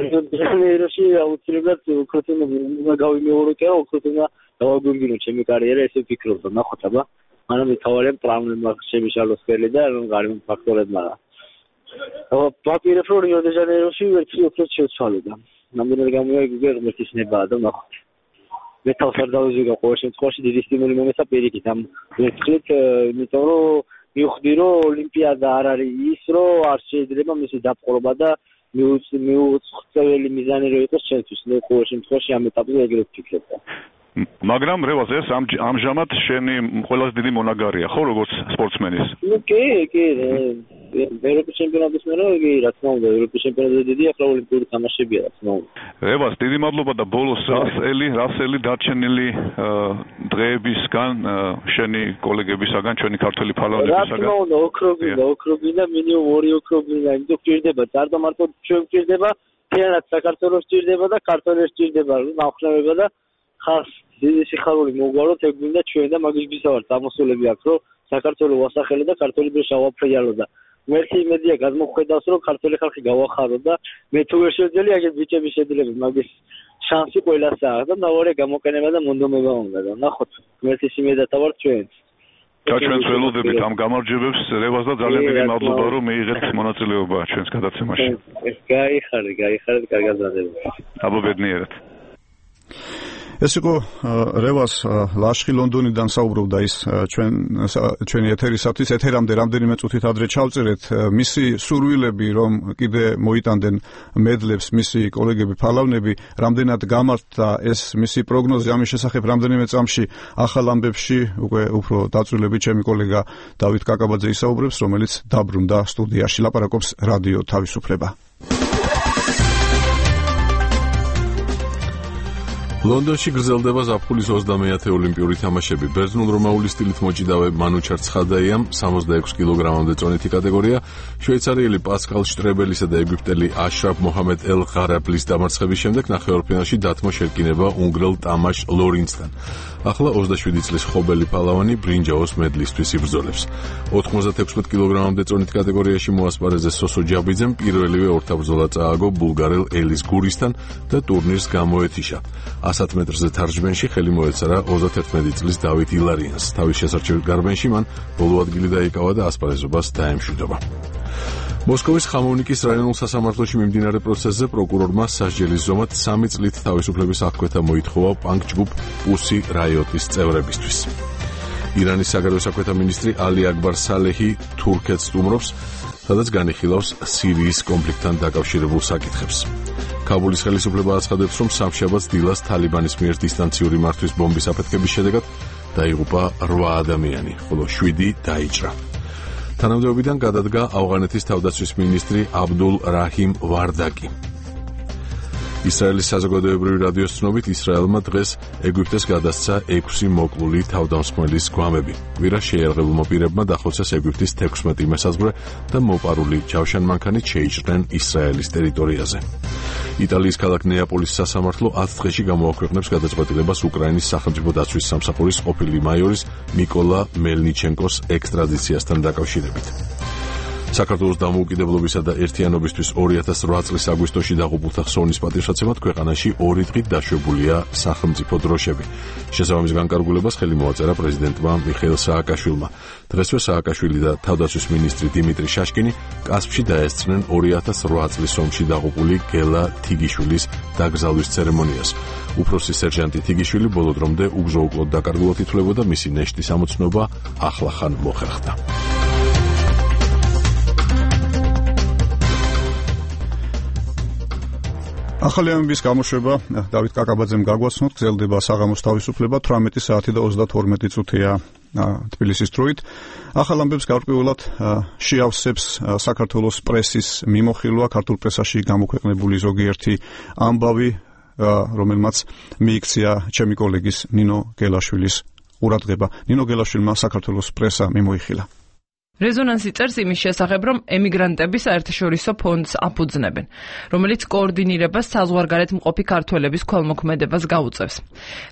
რიო-დე-ჟანეიროში აუცილებლად უკროტინა გავიმეორებია უკროტინა დავაგვირგვინო ჩემი კარიერა ესე ვფიქრობ და ნახოთ აბა მანამ მთავარია პრობლემა შემიშალოს ხელი და რომ გარემო ფაქტორებმა აბა პაპირებ რომ რიო-დე-ჟანეიროში ვერცი უფრო შეცვალე და ნამდვილად გამოიგე ღმერთის ნებაა და ნახოთ მე თავს არ დავიზიგა ყოველ შემთხვევაში დიდი სტიმული მომეცა პირიქით ამ ვერცხლით იმიტომ რომ მივხვდი რომ ოლიმპიადა არ არის ის რომ არ შეიძლება მისი დაპყრობა და მიუწყვეტელი მიზანი რო იყოს ჩვენთვის მე ყოველ შემთხვევაში ამ ეტაპზე ეგრეთ ვფიქრობ მაგრამ რევას ეს ამჟამად შენი ყველაზე დიდი მონაგარია ხო როგორც სპორტსმენის ნუ კი კი ევროპის ჩემპიონატის მერე კი რა თქმა უნდა ევროპის ჩემპიონატზე დიდი ახლა ოლიმპიური თამაშებია რა თქმა უნდა რევას დიდი მადლობა და ბოლოს რასელი რასელი დარჩენილი დღეებისგან შენი კოლეგებისაგან ჩვენი ქართველი ფალავნებისაგან რა თქმა უნდა ოქროგინა ოქროგინა მინიმუმ ორი ოქროგინა იმიტომ გვჭირდება წარდა მარტო ჩვენ გვჭირდება თეატრ საქართველოს გვჭირდება და ქართველებს გვჭირდება ნახშევება და ხალხს დიდი სიხარული მოგვაროთ ეგ გვინდა ჩვენ და მაგის გისავართ ამოსულები აქვს რომ საქართველოს ვასახელო და ქართული დრო შავაფრიალო და მერტი იმედია გადმოხედავს რომ ქართული ხალხი გავახარო და მე თუ ვერ შევძელი აგერ ბიჭები შეძლები მაგის შანსი ყველასაა და ნავარია გამოყენება და მონდომება უნდა და ნახოთ მერტის იმედათა ვარ ჩვენ და ჩვენს ველოდებით ამ გამარჯვებებს რევას და ძალიან დიდი მადლობა რომ მიიღეთ მონაწილეობა ჩვენს გადაცემაში. გაიხარეთ, გაიხარეთ, კარგად დაგებთ. აბა ბედნიერად. ეს იყო რევას ლაშხი ლონდონიდან საუბრობდა ის ჩვენ ჩვენი ეთერისათვის ეთერამდე რამდენიმე წუთით ადრე ჩავწერეთ მისი სურვილები რომ კიდე მოიტანდნენ მედლებს მისი კოლეგები ფალავნები რამდენად გამართდა ეს მისი პროგნოზი ამის შესახებ რამდენიმე წამში ახალ ამბებში უკვე უფრო დაწვრილებით ჩემი კოლეგა დავით კაკაბაძე ისაუბრებს რომელიც დაბრუნდა სტუდიაში ლაპარაკობს რადიო თავისუფლება. ლონდონში გრძელდება ზაფხულის ოცდამეათე ოლიმპიური თამაშები. ბერძნულ-რომაული სტილით მოჭიდავე მანუჩარ ცხადაიამ სამოცდაექვსი კილოგრამამდე წონითი კატეგორია, შვეიცარიელი პასკალ შტრებელისა და ეგვიპტელი აშრაფ მოჰამედ ელ-ღარაბლის დამარცხების შემდეგ ნახევარფინალში დათმო შერკინება უნგრელ ტამაშ ლორინცთან. ახლა ოცდაშვიდი წლის ხობელი პალავანი ბრინჯაოს მედლისთვის იბრძოლებს. ოთხმოცდაექვსი კილოგრამამდე წონით კატეგორიაში მოასპარეზე სოსო ჯაბიძემ პირველივე ორთაბრძოლა წააგო ბულგარელ ელის გურისთან და ტურნირს გამოეთიშა. ასათ მეტრზე თარჯმენში ხელი მოეცარა ოცდაათერთმეტი წლის დავით ილარიანს. თავის შესარჩევ გარბენში მან ბოლო ადგილი დაიკავა და ასპარეზობას დაემშვიდობა. მოსკოვის ხამოვნიკის რაიონულ სასამართლოში მიმდინარე პროცესზე პროკურორმა სასჯელის ზომად სამი წლით თავისუფლების აღკვეთა მოითხოვა პანკ ჯგუფ პუსი რაიოტის წევრებისთვის. ირანის საგარეო საქმეთა მინისტრი ალი აკბარ სალეჰი თურქეთს სტუმრობს, სადაც განიხილავს სირიის კონფლიქტთან დაკავშირებულ საკითხებს. კაბულის ხელისუფლება აცხადებს, რომ სამშაბათს დილას თალიბანის მიერ დისტანციური მართვის ბომბის აფეთქების შედეგად დაიღუპა რვა ადამიანი, ხოლო შვიდი დაიჭრა. თანამდებობიდან გადადგა ავღანეთის თავდაცვის მინისტრი აბდულ რაჰიმ ვარდაკი. ისრაელის საზოგადოებრივი რადიოს ცნობით ისრაელმა დღეს ეგვიპტეს გადასცა ექვსი მოკლული თავდამსხმელის გვამები. კვირა შეიარაღებულმა პირებმა დახოცეს ეგვიპტის თექვსმეტი მესაზღვრე და მოპარული ჯავშანმანქანით შეიჭრნენ ისრაელის ტერიტორიაზე. იტალიის ქალაქ ნეაპოლის სასამართლო ათ დღეში გამოაქვეყნებს გადაწყვეტილებას უკრაინის სახელმწიფო დაცვის სამსახურის ყოფილი მაიორის მიკოლა მელნიჩენკოს ექსტრადიციასთან დაკავშირებით. საქართველოს დამოუკიდებლობისა და ერთიანობისთვის ორი ათას რვა წლის აგვისტოში დაღუპულთა ხსოვნის პატივსაცემად ქვეყანაში ორი დღით დაშვებულია სახელმწიფო დროშები. შესაბამის განკარგულებას ხელი მოაწერა პრეზიდენტმა მიხეილ სააკაშვილმა. დღესვე სააკაშვილი და თავდაცვის მინისტრი დიმიტრი შაშკინი კასპში დაესწრნენ ორი ათას რვა წლის ომში დაღუპული გელა თიგიშვილის დაკრძალვის ცერემონიას. უფროსი სერჟანტი თიგიშვილი ბოლო დრომდე უგზო-უკლოდ დაკარგულად ითვლებოდა, მისი ნეშტის ამოცნობა ახლახან მოხერხდა. ახალი ამბის გამოშვება დავით კაკაბაძემ გაგვაცნოთ, გრძელდება საღამოს თავისუფლება თვრამეტი საათი და ოცდათორმეტი წუთია თბილისის დროით. ახალ ამბებს გარკვეულად შეავსებს საქართველოს პრესის მიმოხილვა, ქართულ პრესაში გამოქვეყნებული ზოგიერთი ამბავი, რომელმაც მიიქცია ჩემი კოლეგის ნინო გელაშვილის ყურადღება. ნინო გელაშვილმა საქართველოს პრესა მიმოიხილა. რეზონანსი წერს იმის შესახებ, რომ ემიგრანტები საერთაშორისო ფონდს აფუძნებენ, რომელიც კოორდინირებას საზღვარგარეთ მყოფი ქართველების ქველმოქმედებას გაუწევს.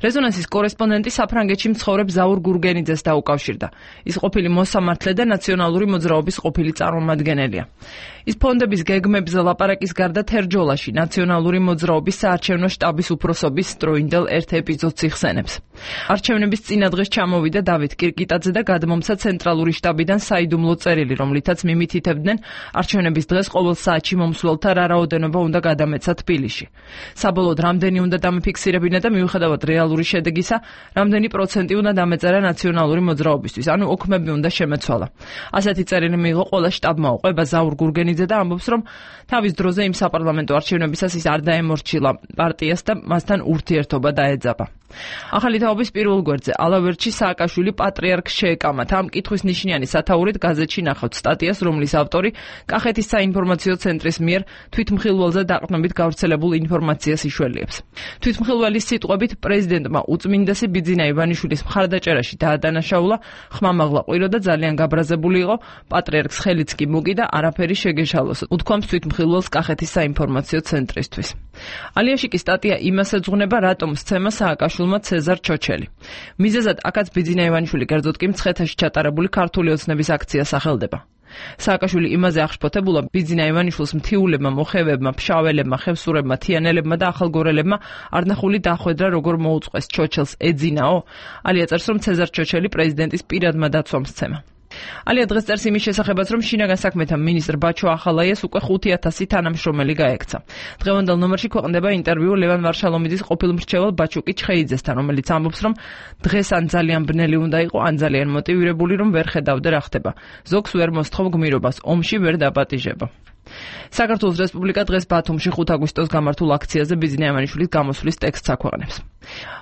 რეზონანსის კორესპონდენტი საფრანგეთში მცხოვრებ ზაურ გურგენიძეს დაუკავშირდა. ის ყოფილი მოსამართლე და ნაციონალური მოძრაობის ყოფილი წარმომადგენელია. ის ფონდების გეგმებზე ლაპარაკის გარდა თერჯოლაში ნაციონალური მოძრაობის საარჩევნო შტაბის უფროსობის დროინდელ ერთ ეპიზოდს იხსენებს. არჩევნების წინა დღეს ჩამოვიდა დავით კირკიტაძე და გადმომცა ცენტრალური შტაბიდან საიდუმლო წერილი, რომლითაც მიმითითებდნენ არჩევნების დღეს ყოველ საათში მომსვლელთა რა რაოდენობა უნდა გადამეცა თბილისში. საბოლოოდ რამდენი უნდა დამიფიქსირებინა და მიუხედავად რეალური შედეგისა, რამდენი პროცენტი უნდა დამეწერა ნაციონალური მოძრაობისთვის, ანუ ოქმები უნდა შემეცვალა. ასეთი წერილი მიიღო ყველა შტაბმა, უყვება ზაურ გურგენიძე და ამბობს, რომ თავის დროზე იმ საპარლამენტო არჩევნებისას ის არ დაემორჩილა პარტიას და მასთან ურთიერთობა დაეძაბა. ახალი თაობის პირველ გვერდზე ალავერტში სააკაშვილი პატრიარქს შეეკამათ. ამ კითხვის ნიშნიანი სათაურით გაზეთში ნახავთ სტატიას, რომლის ავტორი კახეთის საინფორმაციო ცენტრის მიერ თვითმხილველზე დაყრდნობით გავრცელებულ ინფორმაციას იშველიებს. თვითმხილველის სიტყვებით პრეზიდენტმა უწმინდესი ბიძინა ივანიშვილის მხარდაჭერაში დაადანაშაულა, ხმამაღლა ყვირო და ძალიან გაბრაზებული იყო, პატრიარქს ხელიც კი მუგი და არაფერი შეგეშალოს, უთქვამს თვითმხილველს კახეთის საინფორმაციო ცენტრისთვის. ალიაში კი სტატია იმას ეძღვნება, რატომ სცემა სააკაშვილმა ცეზარ ჩოჩელი. მიზეზად აქაც ბიძინა ივანიშვილი, კერძოდ კი მცხეთაში ჩატარებული ქართული ოცნების აქცია სახელდება. სააკაშვილი იმაზე აღშფოთებულა ბიძინა ივანიშვილს მთიულებმა, მოხევებმა, ფშაველებმა, ხევსურებმა, თიანელებმა და ახალგორელებმა არნახული დახვედრა როგორ მოუწყვეს, ჩოჩელს ეძინაო. ალია წერს, რომ ცეზარ ჩოჩელი პრეზიდენტის პირადმა დაცვამ სცემა. ალია დღეს წერს იმის შესახებაც, რომ შინაგან საქმეთა მინისტრ ბაჩო ახალაიას უკვე ხუთი ათასი თანამშრომელი გაექცა. დღევანდელ ნომერში ქვეყნდება ინტერვიუ ლევან ვარშალომიძის ყოფილ მრჩევალ ბაჩუკი ჩხეიძესთან, რომელიც ამბობს, რომ დღეს ან ძალიან ბნელი უნდა იყო, ან ძალიან მოტივირებული, რომ ვერ ხედავდა რა ხდება. ზოგს ვერ მოსთხოვ გმირობას, ომში ვერ დაპატიჟება. საქართველოს რესპუბლიკა დღეს ბათუმში ხუთ აგვისტოს გამართულ აქციაზე ბიძინა ივანიშვილის გამოსვლის ტექსტს აქვეყნებს.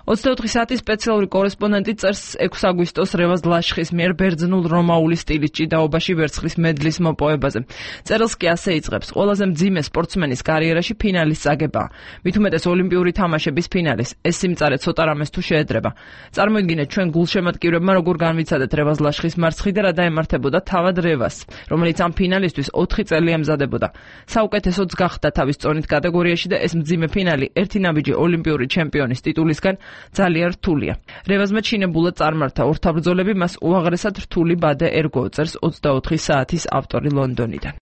ოცდაოთხი საათის სპეციალური კორესპონდენტი წერს ექვსი აგვისტოს რევაზ ლაშხის მიერ ბერძნულ რომაული სტილის ჭიდაობაში ვერცხლის მედლის მოპოვებაზე. წერილს კი ასე იწყებს: ყველაზე მძიმე სპორტსმენის კარიერაში ფინალის წაგებაა. მით უმეტეს ოლიმპიური თამაშების ფინალის. ეს სიმწარე ცოტა რამეს თუ შეედრება. წარმოიდგინეთ ჩვენ გულშემატკივრებმა როგორ განვიცადეთ რევაზ ლაშხის მარცხი და რა დაემართებოდა თავად რევაზს, რომელიც ამ ფინალისთვის ოთხი წელი ემზადებოდა. საუკეთესოც გახდა თავის წონით კატეგორიაში და ეს მძიმე ფინალი ერთი ნაბიჯი ოლიმპიური ჩემპიონის ტიტულისგან ძალიან რთულია. რევაზმა ჩინებულად წარმართა ორთაბრძოლები, მას უაღრესად რთული ბადე ერგო, წერს ოცდაოთხი საათის ავტორი ლონდონიდან.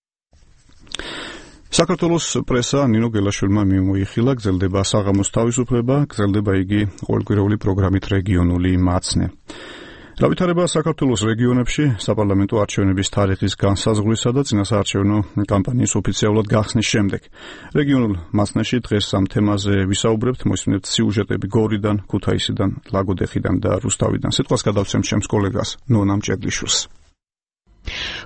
საქართველოს პრესა ნინო გელაშვილმა მიმოიხილა, გრძელდება საღამოს თავისუფლება, გრძელდება იგი ყოველკვირეული პროგრამით რეგიონული მაცნე. რა ვითარება საქართველოს რეგიონებში საპარლამენტო არჩევნების თარიღის განსაზღვრისა და წინასაარჩევნო კამპანიის ოფიციალურად გახსნის შემდეგ. რეგიონულ მაცნეში დღეს ამ თემაზე ვისაუბრებთ, მოისმინეთ სიუჟეტები გორიდან, ქუთაისიდან, ლაგოდეხიდან და რუსთავიდან. სიტყვას გადავცემ ჩემს კოლეგას ნონა მჭედლიშვილს.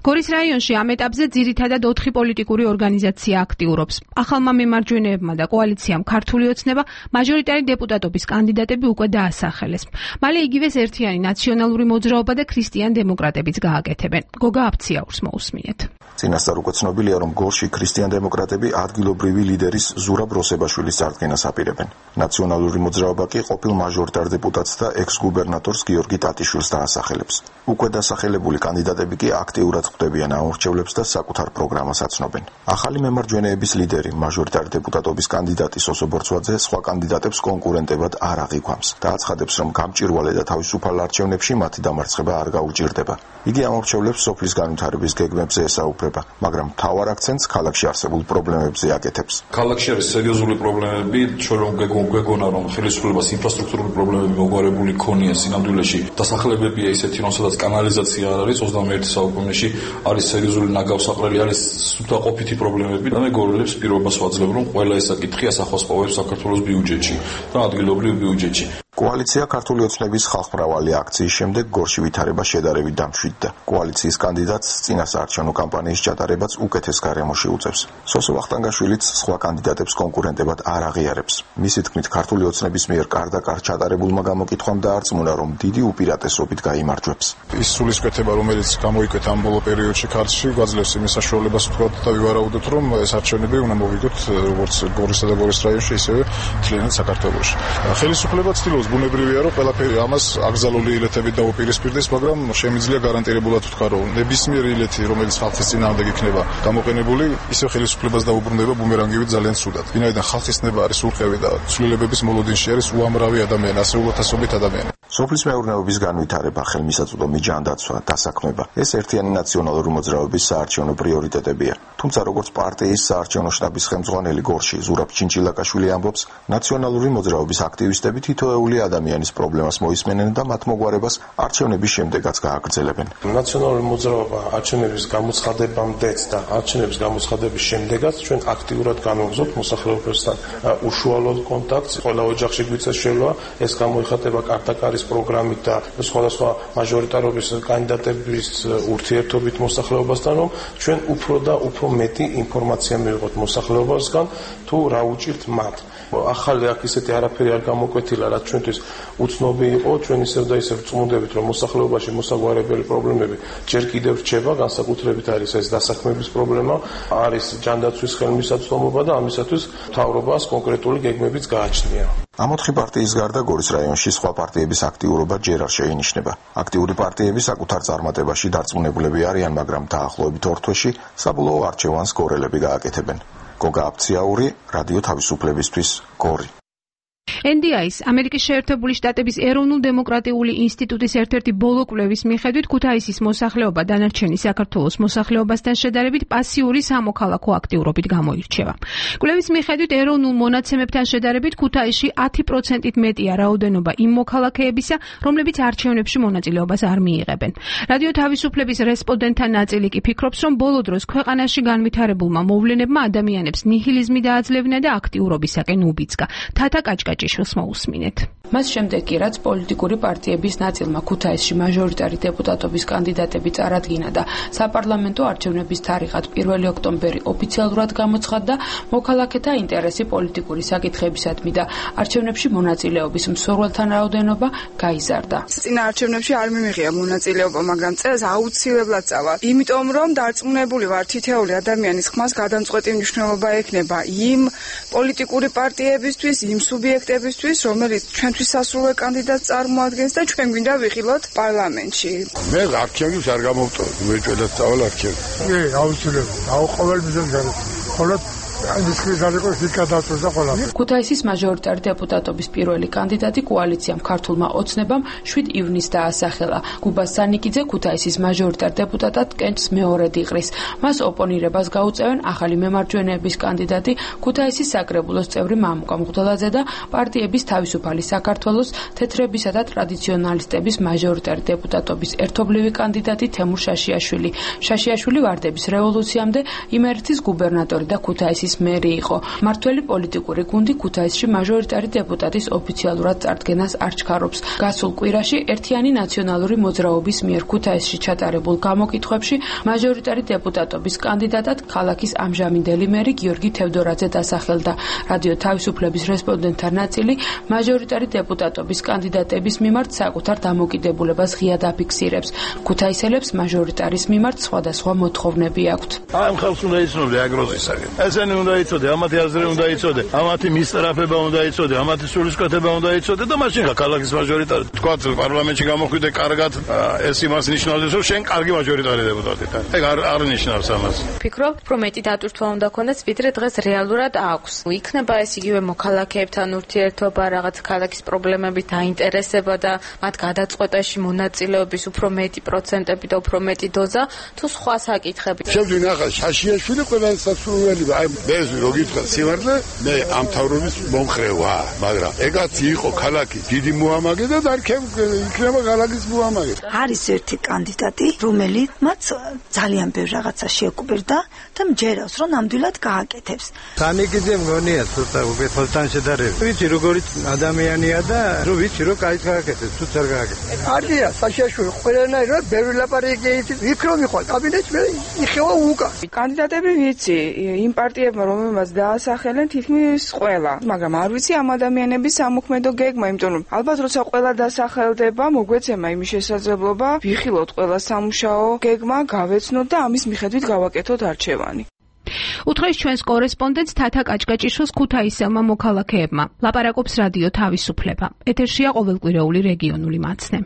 გორის რაიონში ამ ეტაპზე ძირითადად ოთხი პოლიტიკური ორგანიზაცია აქტიურობს. ახალმა მემარჯვენეებმა და კოალიციამ ქართული ოცნება მაჟორიტარი დეპუტატობის კანდიდატები უკვე დაასახელეს. მალე იგივეს ერთიანი ნაციონალური მოძრაობა და ქრისტიან დემოკრატებიც გააკეთებენ. გოგა აფციაურს მოусმინეთ. წინასწარ უკვე ცნობილია, რომ გორში ქრისტიან დემოკრატები ადგილობრივი ლიდერის ზურაბ როსებაშვილის წარდგენას აპირებენ. ნაციონალური მოძრაობა კი ყოფილ მაჟორიტარ დეპუტატს და ექს-გუბერნატორს გიორგი ტატიშვილს დაასახელებს. უკვე დასახელებული კანდიდატები კი აქტიურად ხვდებიან ამორჩევლებს და საკუთარ პროგრამას აცნობენ. ახალი მემარჯვენეების ლიდერი, მაჟორიტარი დეპუტატობის კანდიდატი სოსო ბორცვაძე სხვა კანდიდატებს კონკურენტებად არ აღიქვამს და აცხადებს, რომ გამჭირვალე და თავისუფალ არჩევნებში მათი დამარცხება არ გაუჭირდება. იგი ამორჩევლებს სოფლის განვითარების გეგმებზე ესაუბრება, მაგრამ მთავარ აქცენტს ქალაქში არსებულ პრობლემებზე აკეთებს. ქალაქში არის სერიოზული პრობლემები, ჩვენ რომ გვეგონა, რომ ხელისუფლებას ინფრასტრუქტურული პრობლემები მოგვარებული ქონია სინამდვილეში. დასახლებებია ისეთი, რომ სადაც კანალიზაცია არ არის, ოცდამეერთე საუკუნეში არის სერიოზული ნაგავსაყრელი, არის სუფთაყოფითი პრობლემები და მე გორილებს პირობას ვაძლევ, რომ ყველა ეს საკითხი ასახვას პოვებს საქართველოს ბიუჯეტში და ადგილობრივ ბიუჯეტში. კოალიცია ქართული ოცნების ხალხმრავალი აქციის შემდეგ გორში ვითარება შედარებით დამშვიდდა. კოალიციის კანდიდატს წინასაარჩევნო კამპანიის ჩატარებაც უკეთეს გარემოში უწევს. სოსო ვახტანგაშვილიც სხვა კანდიდატებს კონკურენტებად არ აღიარებს. მისი თქმით, ქართული ოცნების მიერ კარდაკარ ჩატარებულმა გამოკითხვამ დაარწმუნა, რომ დიდი უპირატესობით გაიმარჯვებს. ის სულისკვეთება, რომელიც გამოიკვეთა ამ ბოლო პერიოდში ქართლში, გვაძლევს იმის საშუალებას ვთქვათ და ვივარაუდოთ, რომ ეს არჩევნები უნდა მოვიგოთ როგორც გორისა და გორის რაიონში, ისევე მთლიანად საქართველოში. ხელისუფლება ცდილობს ბუნებრივია, რომ ყველაფერი ამას აკრძალული ილეთებით დაუპირისპირდეს, მაგრამ შემიძლია გარანტირებულად ვთქვა, რომ ნებისმიერი ილეთი, რომელიც ხალხის წინააღმდეგ იქნება გამოყენებული, ისევ ხელისუფლებას დაუბრუნდება ბუმერანგივით ძალიან ცუდად. ვინაიდან ხალხის ნება არის ურყევი და ცვლილებების მოლოდინში არის უამრავი ადამიანი, ასეულათასობით ადამიანი. სოფლის მეურნეობის განვითარება, ხელმისაწვდომი ჯანდაცვა, დასაქმება. ეს ერთიანი ნაციონალური მოძრაობის საარჩევნო პრიორიტეტებია. თუმცა როგორც პარტიის საარჩევნო შტაბის ხელმძღვანელი გორში ზურაბ ჩინჩილაკაშვილი ამბობს, ნაციონალური მოძრაობის აქტივისტები თითოეული ადამიანის პრობლემას მოისმენენ და მათ მოგვარებას არჩევნების შემდეგაც გააგრძელებენ. ნაციონალური მოძრაობა არჩევნების გამოცხადებამდეც და არჩევნების გამოცხადების შემდეგაც ჩვენ აქტიურად განვაგრძობთ მოსახლეობასთან უშუალო კონტაქტს. ყველა ოჯახში გვიწევს შელვა, ეს გამოიხატება კარტაკარის პროგრამით და სხვადასხვა მაჟორიტარობის კანდიდატების ურთიერთობით მოსახლეობასთან, რომ ჩვენ უფრო და უფრო მეტი ინფორმაცია მივიღოთ მოსახლეობასგან თუ რა უჭირთ მათ. ახალი აქ ისეთი არაფერი არ გამოკვეთილა, რაც ჩვენთვის უცნობი იყო, ჩვენ ისევ და ისევ წმუდებით, რომ მოსახლეობაში მოსაგვარებელი პრობლემები ჯერ კიდევ რჩება, განსაკუთრებით არის ეს დასაქმების პრობლემა, არის ჯანდაცვის ხელმისაწვდომობა და ამისათვის მთავრობას კონკრეტული გეგმებიც გააჩნია. ამ ოთხი პარტიის გარდა გორის რაიონში სხვა პარტიების აქტიურობა ჯერ არ შეინიშნება. აქტიური პარტიები საკუთარ წარმატებაში დარწმუნებულები არიან, მაგრამ დაახლოებით ორ თვეში საბოლოო არჩევანს გორელები გააკეთებენ. გოგა აფციაური, რადიო თავისუფლებისთვის, გორი. ენ დი აის ამერიკის შეერთებული შტატების ეროვნულ-დემოკრატიული ინსტიტუტის ერთ-ერთი ბოლო კვლევის მიხედვით ქუთაისის მოსახლეობა დანარჩენი საქართველოს მოსახლეობასთან შედარებით პასიური სამოქალაქო აქტიურობით გამოირჩევა. კვლევის მიხედვით ეროვნულ მონაცემებთან შედარებით ქუთაისში ათი პროცენტით მეტია რაოდენობა იმ მოქალაქეებისა, რომლებიც არჩევნებში მონაწილეობას არ მიიღებენ. რადიო თავისუფლების რესპონდენტთა ნაწილი კი ფიქრობს, რომ ბოლო დროს ქვეყანაში განვითარებულმა მოვლენებმა ადამიანებს ნიჰილიზმი დააძლევნა და აქტიურობისაკენ უბიძგა. თათა კაჭკაჭიშვილს მოусმინეთ. მას შემდეგ კი რაც პოლიტიკური პარტიების ნაწილმა ქუთაისში მაჟორიტარი დეპუტატობის კანდიდატები წარადგინა და საპარლამენტო არჩევნების თარიღად პირველი ოქტომბერი ოფიციალურად გამოცხადდა, მოქალაქეთა ინტერესი პოლიტიკური საკითხებისადმი და არჩევნებში მონაწილეობის მსურველთა რაოდენობა გაიზარდა. წინა არჩევნებში არ მიმიღია მონაწილეობა, მაგრამ წელს აუცილებლად წავალ. იმიტომ რომ დარწმუნებული ვარ, თითოეული ადამიანის ხმას გადამწყვეტი მნიშვნელობა ექნება იმ პოლიტიკური პარტიებისთვის, იმ სუბიექტებისთვის, რომელიც ჩვენთვის სასურველ კანდიდატს წარმოადგენს და ჩვენ გვინდა ვიხილოთ პარლამენტში. მე არჩევნებს არ გამოვტოვებ, მეჭედად წავალ არჩევნებს. კი, აუცილებლად. აუ ყოველ მიზანს განვიხილოთ. ხოლო ქუთაისის მაჟორიტარი დეპუტატობის პირველი კანდიდატი კოალიციამ ქართულმა ოცნებამ შვიდ ივნისს დაასახელა. გუბას სანიკიძე ქუთაისის მაჟორიტარ დეპუტატად კენჭს მეორედ იყრის. მას ოპონირებას გაუწევენ ახალი მემარჯვენეების კანდიდატი ქუთაისის საკრებულოს წევრი მამუკა მღვდელაძე და პარტიების თავისუფალი საქართველოს თეთრებისა და ტრადიციონალისტების მაჟორიტარი დეპუტატობის ერთობლივი კანდიდატი თემურ შაშიაშვილი. შაშიაშვილი ვარდების რევოლუციამდე იმერეთის გუბერნატორი და ქუთაისის მერი იყო. მართველი პოლიტიკური გუნდი ქუთაისში მაჟორიტარი დეპუტატის ოფიციალურად წარდგენას არ ჩქარობს. გასულ კვირაში ერთიანი ნაციონალური მოძრაობის მიერ ქუთაისში ჩატარებულ გამოკითხვებში მაჟორიტარი დეპუტატობის კანდიდატად ქალაქის ამჟამინდელი მერი გიორგი თევდორაძე დასახელდა. რადიო თავისუფლების რესპონდენტთა ნაწილი მაჟორიტარი დეპუტატობის კანდიდატების მიმართ საკუთარ დამოკიდებულებას ღიად აფიქსირებს. ქუთაისელებს მაჟორიტარის მიმართ სხვადასხვა მოთხოვნები აქვთ. ამ ხალხს უნდა იცნობდე აგროზისაგან. ესენი უნდა იცოდე, ამათი აზრი უნდა იცოდე, ამათი მისწრაფება უნდა იცოდე, ამათი სულისკვეთება უნდა იცოდე და მაშინ ხა ქალაქის მაჟორიტარი. თქვა პარლამენტში გამოხვიდე კარგად, ეს იმას ნიშნავს, რომ შენ კარგი მაჟორიტარი დეპუტატი ხარ. ეგ არ არ ნიშნავს ამას. ფიქრობ, რომ მეტი დატვირთვა უნდა ქონდეს, ვიდრე დღეს რეალურად აქვს. იქნება ეს იგივე მოქალაქეებთან ურთიერთობა, რაღაც ქალაქის პრობლემებით დაინტერესება და მათ გადაწყვეტაში მონაწილეობის უფრო მეტი პროცენტები და უფრო მეტი დოზა, თუ სხვა საკითხები. შევძვინ ახლა შაშიაშვილი ყველას სასურველი აი მე როგითხრა სიმართლე მე ამ თავრობის მომხრე ვარ, მაგრამ ეგაც იყო ქალაქი დიდი მოამაგე და დარქემ იქნება ქალაქის მოამაგე. არის ერთი კანდიდატი, რომელიც მათ ძალიან ბევრ რაღაცა შეკვირდა და მჯერავს, რომ ნამდვილად გააკეთებს. სანიკიძე მგონია ცოტა უბედურთან შედარებით. ვიცი როგორი ადამიანია და რო ვიცი რომ კაი გააკეთებს, თუ არ გააკეთებს. არია საშიაშვილი ყველანაირად ბევრი ლაპარაკი იცით, იქ რომ იყო კაბინეტში მე იხევა უკან. კანდიდატები ვიცი, იმ პარტიებმა რომელმაც დაასახელენ თითქმის ყველა, მაგრამ არ ვიცი ამ ადამიანების სამოქმედო გეგმა, იმიტომ რომ ალბათ როცა ყველა დასახელდება, მოგვეცემა იმის შესაძლებლობა, ვიხილოთ ყველა სამუშაო გეგმა, გავეცნოთ და ამის მიხედვით გავაკეთოთ არჩევანი. უთხრეს ჩვენს კორესპონდენტს თათა კაჭკაჭიშვილს ქუთაისელმა მოქალაქეებმა. ლაპარაკობს რადიო თავისუფლება. ეთერშია ყოველკვირეული რეგიონული მაცნე.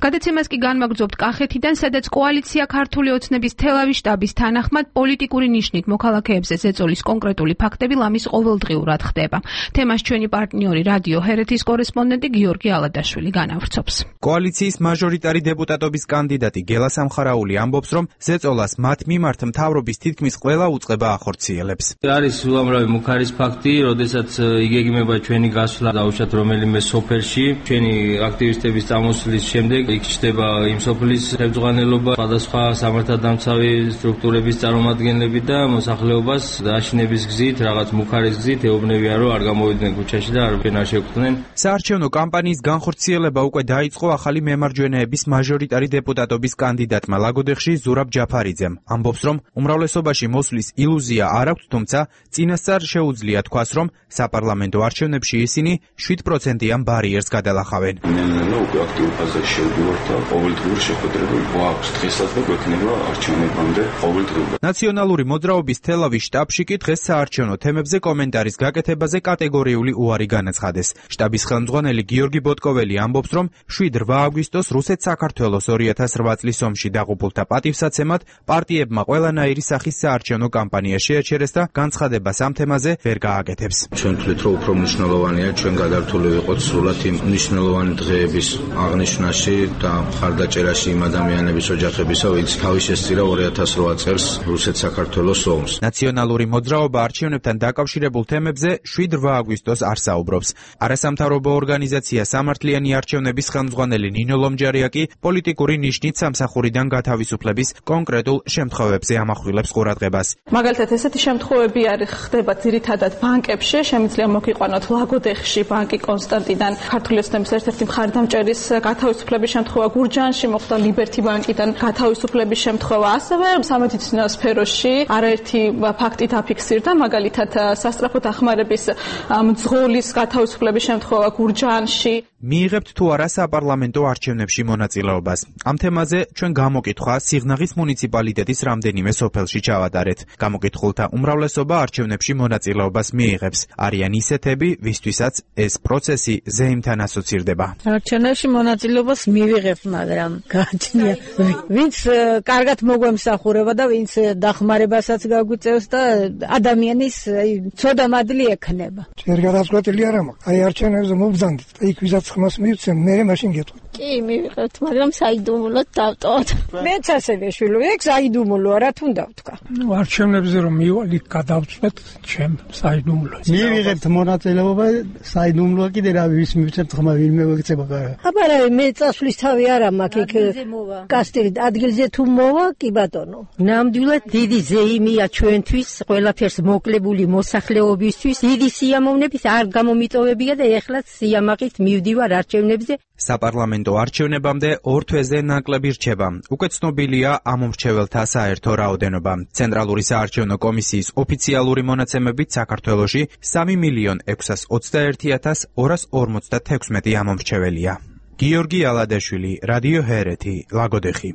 გადაცემას კი განმაგრძობთ კახეთიდან, სადაც კოალიცია ქართული ოცნების თელავის შტაბის თანახმად პოლიტიკური ნიშნით მოქალაქეებზე ზეწოლის კონკრეტული ფაქტები ლამის ყოველდღიურად ხდება. თემას ჩვენი პარტნიორი რადიო ჰერეთის კორესპონდენტი გიორგი ალადაშვილი განავრცობს. კოალიციის მაჟორიტარი დეპუტატობის კანდიდატი გელა სამხარაული ამბობს, რომ ზეწოლას მათ მიმართ მთავრობის თითქმის ყველა უწყება ახორციელებს. არის უამრავი მუქარის ფაქტი, როდესაც იგეგმება ჩვენი გასვლა დაუშვათ რომელიმე სოფელში, ჩვენი აქტივისტების წამოსვლის შემდეგ იქ ჩდება იმ სოფლის ხელმძღვანელობა, სხვადასხვა სამართალდამცავი სტრუქტურების წარმომადგენლები და მოსახლეობას დაშინების გზით, რაღაც მუქარის გზით ეუბნებიან, რომ არ გამოვიდნენ ქუჩაში და არაფერ არ შეგვხვდნენ. საარჩევნო კამპანიის განხორციელება უკვე დაიწყო ახალი მემარჯვენეების მაჟორიტარი დეპუტატობის კანდიდატმა ლაგოდეხში ზურაბ ჯაფარიძემ. ამბობს, რომ უმრავლესობაში მოსვლის ილუზია არ აქვს, თუმცა წინასწარ შეუძლია თქვას, რომ საპარლამენტო არჩევნებში ისინი შვიდ პროცენტიან ბარიერს გადალახავენ. მე უკვე აქტიურ ფაზაში ვართ და ყოველდღიური შეხვედრები გვაქვს დღესაც და გვექნება არჩევნებამდე ყოველდღიური. ნაციონალური მოძრაობის თელავის შტაბში კი დღეს საარჩევნო თემებზე კომენტარის გაკეთებაზე კატეგორიული უარი განაცხადეს. შტაბის ხელმძღვანელი გიორგი ბოტკოველი ამბობს, რომ შვიდ რვა აგვისტოს რუსეთ-საქართველოს ორი ათას რვა წლის ომში დაღუპულთა პატივსაცემად პარტიებმა ყველანაირი სახის საარჩევნო კამპანია შეაჩერეს და განცხადებას ამ თემაზე ვერ გააკეთებს. ჩვენ ვთვლით, რომ უფრო მნიშვნელოვანია ჩვენ გადართული ვიყოთ სრულად იმ მნიშვნელოვანი დღეების აღნიშვნაში და მხარდაჭერაში იმ ადამიანების ოჯახებისა, ვინც თავის შესწირა ორი ათას რვა წელს რუსეთ-საქართველოს ომს. ნაციონალური მოძრაობა არჩევნებთან დაკავშირებულ თემებზე შვიდ რვა აგვისტოს არ საუბრობს. არასამთავრობო ორგანიზაცია სამართლიანი არჩევნების ხელმძღვანელი ნინო ლომჯარია კი პოლიტიკური ნიშნით სამსახურიდან გათავისუფლების კონკრეტულ შემთხვევებზე ამახვილებს ყურადღებას. მაგალითად, ესეთი შემთხვევები არის ხდება ძირითადად ბანკებში, შემიძლია მოგიყვანოთ ლაგოდეხში ბანკი კონსტანტიდან ქართული ოცნების ერთ-ერთი მხარდამჭერის გათავისუფლების შემთხვევა, გურჯაანში მოხდა ლიბერთი ბანკიდან გათავისუფლების შემთხვევა, ასევე სამედიცინო სფეროში არაერთი ფაქტი დაფიქსირდა, მაგალითად სასწრაფო დახმარების მძღოლის გათავისუფლების შემთხვევა გურჯაანში. მიიღებთ თუ არა საპარლამენტო არჩევნებში მონაწილეობას. ამ თემაზე ჩვენ გამოკითხვა სიღნაღის მუნიციპალიტეტის რამდენიმე სოფელში ჩავატარეთ. გამოკითხულთა უმრავლესობა არჩევნებში მონაწილეობას მიიღებს. არიან ისეთები, ვისთვისაც ეს პროცესი ზეიმთან ასოცირდება. არჩევნებში მონაწილეობას მივიღებთ, მაგრამ გააჩნია ვინც კარგად მოგვემსახურება და ვინც დახმარებასაც გაგვიწევს და ადამიანის ცოდა მადლი ექნება. ჯერ გადაწყვეტილი არ მაქვს. აი არჩევნებზე მობრძანდით. იქ ვიზაც ხმას მივცემ, მე მაშინ გეტყვი. კი, მივიღებთ, მაგრამ საიდუმლოდ დავტოვოთ. მეც ასევე შვილო, ეგ საიდუმლოა, რა თუნდა ვთქვა. ნუ არჩევნებზე რომ მივალ, იქ გადავწყვეტ, ჩემ საიდუმლოა. მივიღებთ მონაწილეობა, საიდუმლოა კიდე რა ვის მივცემთ ხმა ვინმე ვექცება კარა. აბარა მე წასვლის თავი არ მაქვს იქ კასტილი ადგილზე თუ მოვა, კი ბატონო. ნამდვილად დიდი ზეიმია ჩვენთვის, ყველაფერს მოკლებული მოსახლეობისთვის, დიდი სიამოვნებით არ გამომიტოვებია და ეხლაც სიამაყით მივდივარ არჩევნებზე. საპარლამენტო არჩევნებამდე ორ თვეზე ნაკლები რჩება. უკვე ცნობილია ამომრჩეველთა საერთო რაოდენობა. ცენტრალური საარჩევნო კომისიის ოფიციალური მონაცემებით საქართველოში სამი მილიონ ექვსას ოცდაერთი ათას ორას ორმოცდათექვსმეტი ამომრჩეველია. გიორგი ალადაშვილი, რადიო ჰერეთი, ლაგოდეხი.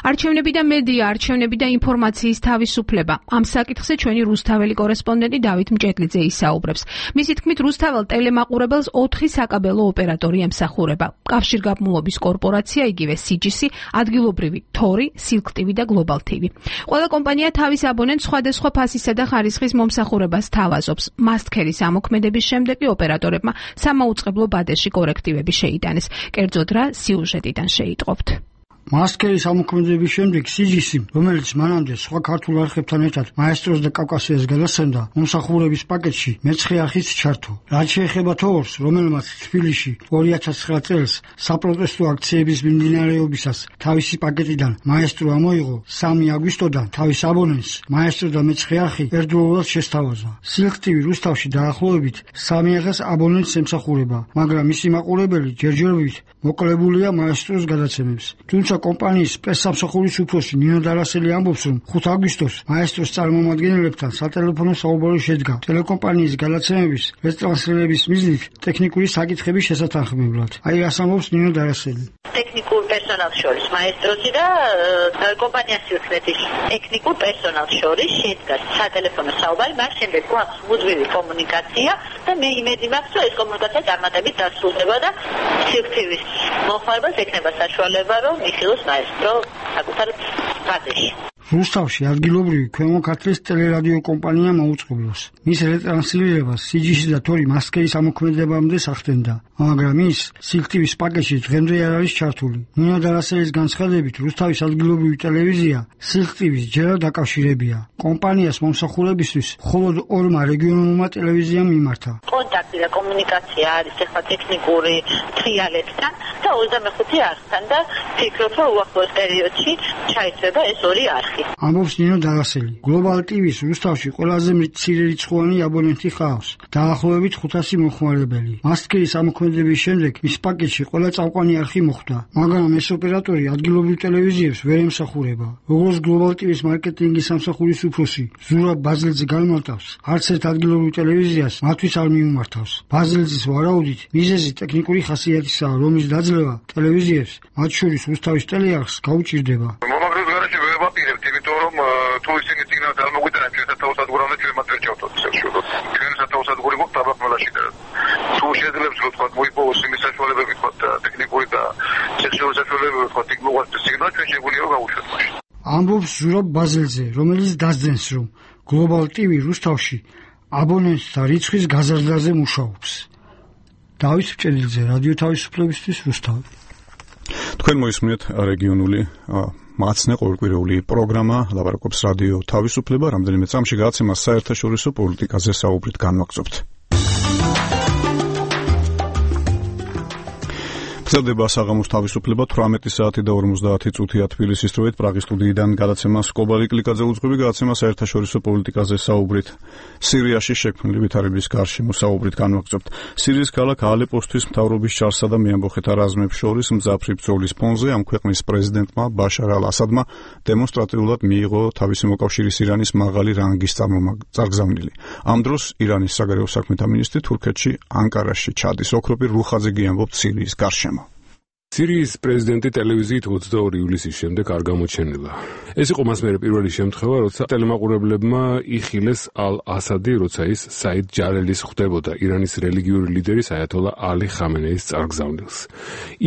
არჩევნები და მედია, არჩევნები და ინფორმაციის თავისუფლება. ამ საკითხზე ჩვენი რუსთაველი კორესპონდენტი დავით მჭედლიძე ისაუბრებს. მისი თქმით, რუსთაველ ტელემაყურებელს ოთხი საკაბელო ოპერატორი ემსახურება. კავშირგაბმულობის კორპორაცია, იგივე სი ჯი სი, ადგილობრივი თორი, სილკ ტივი და გლობალ ტივი. ყველა კომპანია თავის აბონენტს სხვადასხვა ფასისა და ხარისხის მომსახურებას თავაზობს. მასტქერის ამოქმედების შემდეგ ოპერატორებმა სამაუწყებლო ბადეში კორექტივები შეიტანეს. კერძოდ რა სიუჟეტიდან შეიტყობთ. მასკერის ამოქმედების შემდეგ სი ჯი სი, რომელიც მანამდე სხვა ქართულ არხებთან ერთად მაესტროს და კავკასიას გადასცემდა, მომსახურების პაკეტში მეცხრე არხიც ჩართო. რაც შეეხება თორს, რომელმაც თბილისში ორი ათას ცხრა წელს საპროტესტო აქციების მიმდინარეობისას თავისი პაკეტიდან მაესტრო ამოიღო, სამი აგვისტოდან თავის აბონენტს მაესტრო და მეცხრე არხი ერთდროულად შესთავაზა. სილკ ტივი რუსთავში დაახლოებით სამი ათას აბონენტს ემსახურება, მაგრამ მისი მაყურებელი ჯერჯერობით მოკლებულია მაესტროს გადაცემებს. თუმცა კომპანიის პრესსამსახურის უფროსი ნინო დარასელი ამბობს, რომ ხუთი აგვისტოს მაესტროს წარმომადგენლებთან სატელეფონო საუბარი შედგა ტელეკომპანიის გადაცემების რეტრანსლირების მიზნით ტექნიკური საკითხების შესათანხმებლად. აი რას ამბობს ნინო დარასელი. ტექნიკურ პერსონალს შორის მაესტროსი და კომპანიას უწყვეტის ტექნიკურ პერსონალს შორის შედგა სატელეფონო საუბარი, მას შემდეგ გვაქვს მუდმივი კომუნიკაცია და მე იმედი მაქვს, რომ ეს კომუნიკაცია წარმატებით დასრულდება და სიკვდილის მოხმარებას ექნება საშუალება, რომ მიხილოს მაესტრო საკუთარ ბაზაში. რუსთავში ადგილობრივი ქვემო ქართლის ტელერადიო კომპანია მაუწყებლობს. მის რეტრანსლირებას სი ჯი სი და თორი მასკერის ამოქმედებამდე სახდენდა, მაგრამ ის სილკ ტივის პაკეტში დღემდე არ არის ჩართული. ნინო დარასელის განცხადებით, რუსთავის ადგილობრივი ტელევიზია სილკ ტივის ჯერად დაკავშირებია. კომპანიას მომსახურებისთვის მხოლოდ ორმა რეგიონულმა ტელევიზიამ მიმართა. კონტაქტი და კომუნიკაცია არის ახლა ტექნიკური თრიალებთან და ოცდამეხუთე არხთან და ფიქრობ, რომ უახლოეს პერიოდში ჩაიცრება ეს ორი არხი. ამბობს ნინო დარასელი. გლობალ ტივის რუსთავში ყველაზე მცირე რიცხვოვანი აბონენტი ჰყავს, დაახლოებით ხუთასი მომხმარებელი. მასკერის ამოქმედების შემდეგ მის პაკეტში ყველა წამყვანი არხი მოხვდა, მაგრამ ეს ოპერატორი ადგილობრივ ტელევიზიებს ვერ ემსახურება. როგორც გლობალ ტივის მარკეტინგის სამსახურის უფროსი ზურაბ ბაზლეძე განმარტავს, არც ერთ ადგილობრივ ტელევიზიას მათთვის არ მიმართავს. ბაზილძის ვარაუდით, მიზეზი ტექნიკური ხასიათისაა, რომლის დაძლევა ტელევიზიებს, მათ შორის რუსთავის ტელეარხს გაუჭირდება. მომაგროს გარშემო ვეპაპირებთ, იმიტომ რომ თუ ისინი წინა დამოგვიტანებთ ჩვენ სათავსადგურამდე ჩვენ მათ ვერ ჩავთვალთ საშუალოდ. ჩვენ სათავსადგური გვაქვს დაბახმელაში და თუ შეძლებს რომ თქვა მოიპოვოს იმის საშუალებები თქვა ტექნიკური და სექსუალური საშუალებები თქვა იქ მოგვასწრებს სიგნალი ჩვენ შეგვიძლია რომ გავუშვათ მაშინ. ამბობს ზურაბ ბაზელძე, რომელიც დასძენს, რომ Global ტი ვი რუსთავში აბონენტთა რიცხვის გაზრდაზე მუშაობს. დავით ჭელიძე, რადიო თავისუფლებისთვის, რუსთავი. თქვენ მოისმინეთ რეგიონული მაცნე ყოველკვირეული პროგრამა ლაპარაკობს რადიო თავისუფლება, რამდენიმე წამში გადაცემა საერთაშორისო პოლიტიკაზე საუბრით განვაგრძობთ. გრძელდება საღამოს თავისუფლება თვრამეტი საათი და ორმოცდაათი წუთია თბილისის დროით. პრაღის სტუდიიდან გადაცემა სკობალი კლიკაძე უძღვები, გადაცემა საერთაშორისო პოლიტიკაზე საუბრით. სირიაში შექმნილი ვითარების გარშემო საუბრით განვაგრძობთ. სირიის ქალაქ ალეპოსთვის მთავრობის ჩარსა და მეამბოხეთა რაზმებს შორის მძაფრი ბრძოლის ფონზე ამ ქვეყნის პრეზიდენტმა ბაშარ ალ-ასადმა დემონსტრატიულად მიიღო თავისი მოკავშირის ირანის მაღალი რანგის წარმოგზავნილი. ამ დროს ირანის საგარეო საქმეთა მინისტრი თურქეთში ანკარაში ჩადის. ოქროპირ რუხაძე გიამბობთ სირიის გარშემო. სირიის პრეზიდენტი ტელევიზიით ოცდაორი ივლისის შემდეგ არ გამოჩენილა. ეს იყო მას მერე პირველი შემთხვევა, როცა ტელემაყურებლებმა იხილეს ალ-ასადი, როცა ის საიდ ჯალელის ხვდებოდა ირანის რელიგიური ლიდერის აიათოლა ალი ხამენეის წარგზავნილს.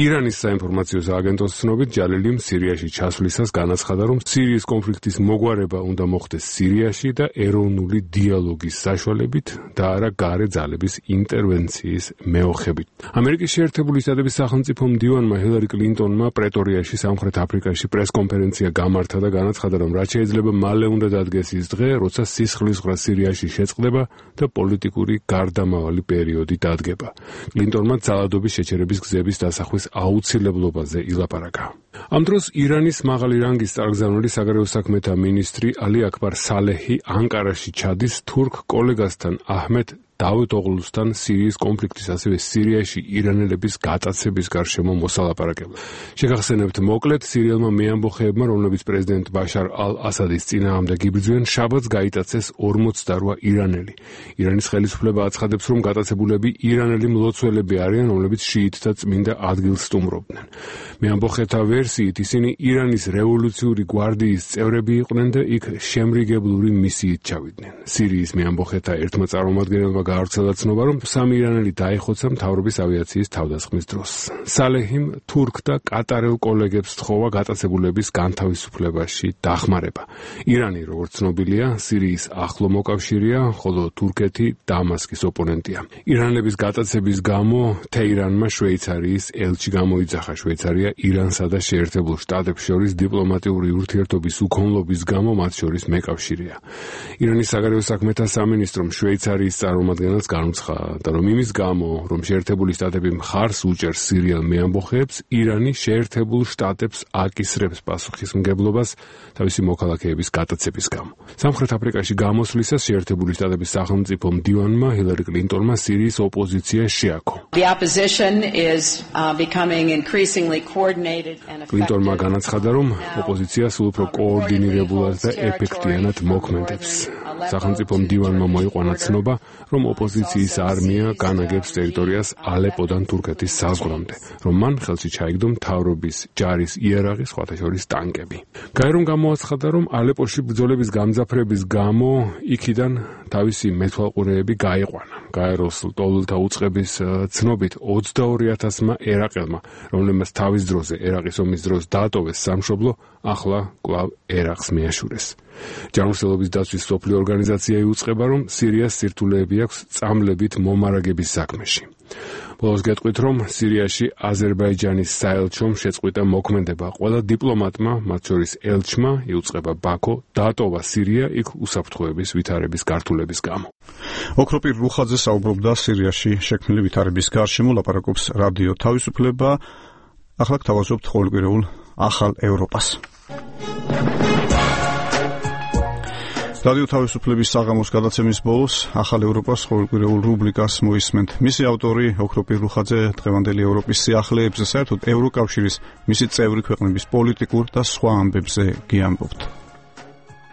ირანის საინფორმაციო სააგენტოს ცნობით, ჯალელიმ სირიაში ჩასვლისას განაცხადა, რომ სირიის კონფლიქტის მოგვარება უნდა მოხდეს სირიაში და ეროვნული დიალოგის საშუალებით და არა გარე ძალების ინტერვენციის მეოხებით. ამერიკის შეერთებული შტატების სახელმწიფო მდივანმა ჰილარი კლინტონმა პრეტორიაში სამხრეთ აფრიკაში პრესკონფერენცია გამართა და განაცხადა, რომ რაც შეიძლება მალე უნდა დადგეს ის დღე, როცა სისხლისღვრა სირიაში შეწყდება და პოლიტიკური გარდამავალი პერიოდი დადგება. კლინტონმა ძალადობის შეჩერების გზების დასახვის აუცილებლობაზე ილაპარაკა. ამ დროს ირანის მაღალი რანგის წარგზავნილი საგარეო საქმეთა მინისტრი ალი აკბარ სალეჰი ანკარაში ჩადის თურქ კოლეგასთან აჰმედ დავით ოღლუსთან სირიის კონფლიქტის, ასევე სირიაში ირანელების გატაცების გარშემო მოსალაპარაკებლად. შეგახსენებთ მოკლედ, სირიელმა მეამბოხეებმა, რომლებიც პრეზიდენტ ბაშარ ალ-ასადის წინააღმდეგ იბრძვიან, შაბათს გაიტაცეს ორმოცდარვა ირანელი. ირანის ხელისუფლება აცხადებს, რომ გატაცებულები ირანელი მლოცველები არიან, რომლებიც შიიტთა წმინდა ადგილს სტუმრობდნენ. მეამბოხეთა ვერსიით ისინი ირანის რევოლუციური გვარდიის წევრები იყვნენ და იქ შემრიგებლური მისიით ჩავიდნენ. სირიის მეამბოხეთა ერთმა წარმომადგენელმა გაავრცელა ცნობა, რომ სამი ირანელი დაიხოცა მთავრობის ავიაციის თავდასხმის დროს. სალეჰიმ თურქთა კატარელ კოლეგებს თხოვა გატაცებულების განთავისუფლებაში დახმარება. ირანი, როგორც ცნობილია, სირიის ახლო მოკავშირეა, ხოლო თურქეთი დამასკის ოპონენტია. ირანელების გატაცების გამო თეირანმა შვეიცარიის ელჩი გამოიძახა. შვეიცარია ირანსა და შეერთებულ შტატებს შორის დიპლომატიური ურთიერთობის უქონლობის გამო მათ შორის მეკავშირეა. ირანის საგარეო საქმეთა სამინისტრომ შვეიცარიის წარმომადგენელს განუცხადა, რომ იმის გამო, რომ შეერთებული შტატები მხარს უჭერს სირიელ მეამბოხეებს, ირანი შეერთებულ შტატებს აკისრებს პასუხისმგებლობას თავისი მოქალაქეების გატაცების გამო. სამხრეთ აფრიკაში გამოსვლისას შეერთებული შტატების სახელმწიფო მდივანმა ჰილარი კლინტონმა სირიის ოპოზიცია შეაქო. კლინტონმა განაცხადა, რომ ოპოზიცია სულ უფრო კოორდინირებულად და ეფექტიანად მოქმედებს. სახელმწიფო მდივანმა მოიყვანა ცნობა, რომ ოპოზიციის არმია განაგებს ტერიტორიას ალეპოდან თურქეთის საზღვრამდე, რომ მან ხელში ჩაიგდო მთავრობის ჯარის იარაღი, სხვათა შორის ტანკები. გაერომ გამოაცხადა, რომ ალეპოში ბრძოლების გამძაფრების გამო იქიდან თავისი მეთვალყურეები გაიყვანა. გაეროს ლტოლვილთა უწყების ცნობით ოცდაორი ათასმა ერაყელმა, რომლებმაც თავის დროზე ერაყის ომის დროს დაატოვეს სამშობლო, ახლა კვლავ ერაყს მიაშურეს. ჯანმრთელობის დაცვის მსოფლიო ორგანიზაცია იუწყება, რომ სირიას სირთულეები აქვს წამლებით მომარაგების საქმეში. ბოლოს გეტყვით, რომ სირიაში აზერბაიჯანის საელჩომ შეწყვიტა მოქმედება. ყველა დიპლომატმა, მათ შორის ელჩმა, იუწყება ბაქო, დაატოვა სირია იქ უსაფრთხოების ვითარების გართულების გამო. ოქროპირ რუხაძე საუბრობდა სირიაში შექმნილი ვითარების გარშემო, ლაპარაკობს რადიო თავისუფლება. ახლა გთავაზობთ ყოველკვირეულ ახალ ევროპას. რადიო თავისუფლების საღამოს გადაცემის ბოლოს ახალ ევროპას ყოველკვირეულ რუბრიკას მოისმენთ. მისი ავტორი ოქროპირ რუხაძე დღევანდელი ევროპის სიახლეებზე, საერთოდ ევროკავშირის მისი წევრი ქვეყნების პოლიტიკურ და სხვა ამბებზე გიამბობთ.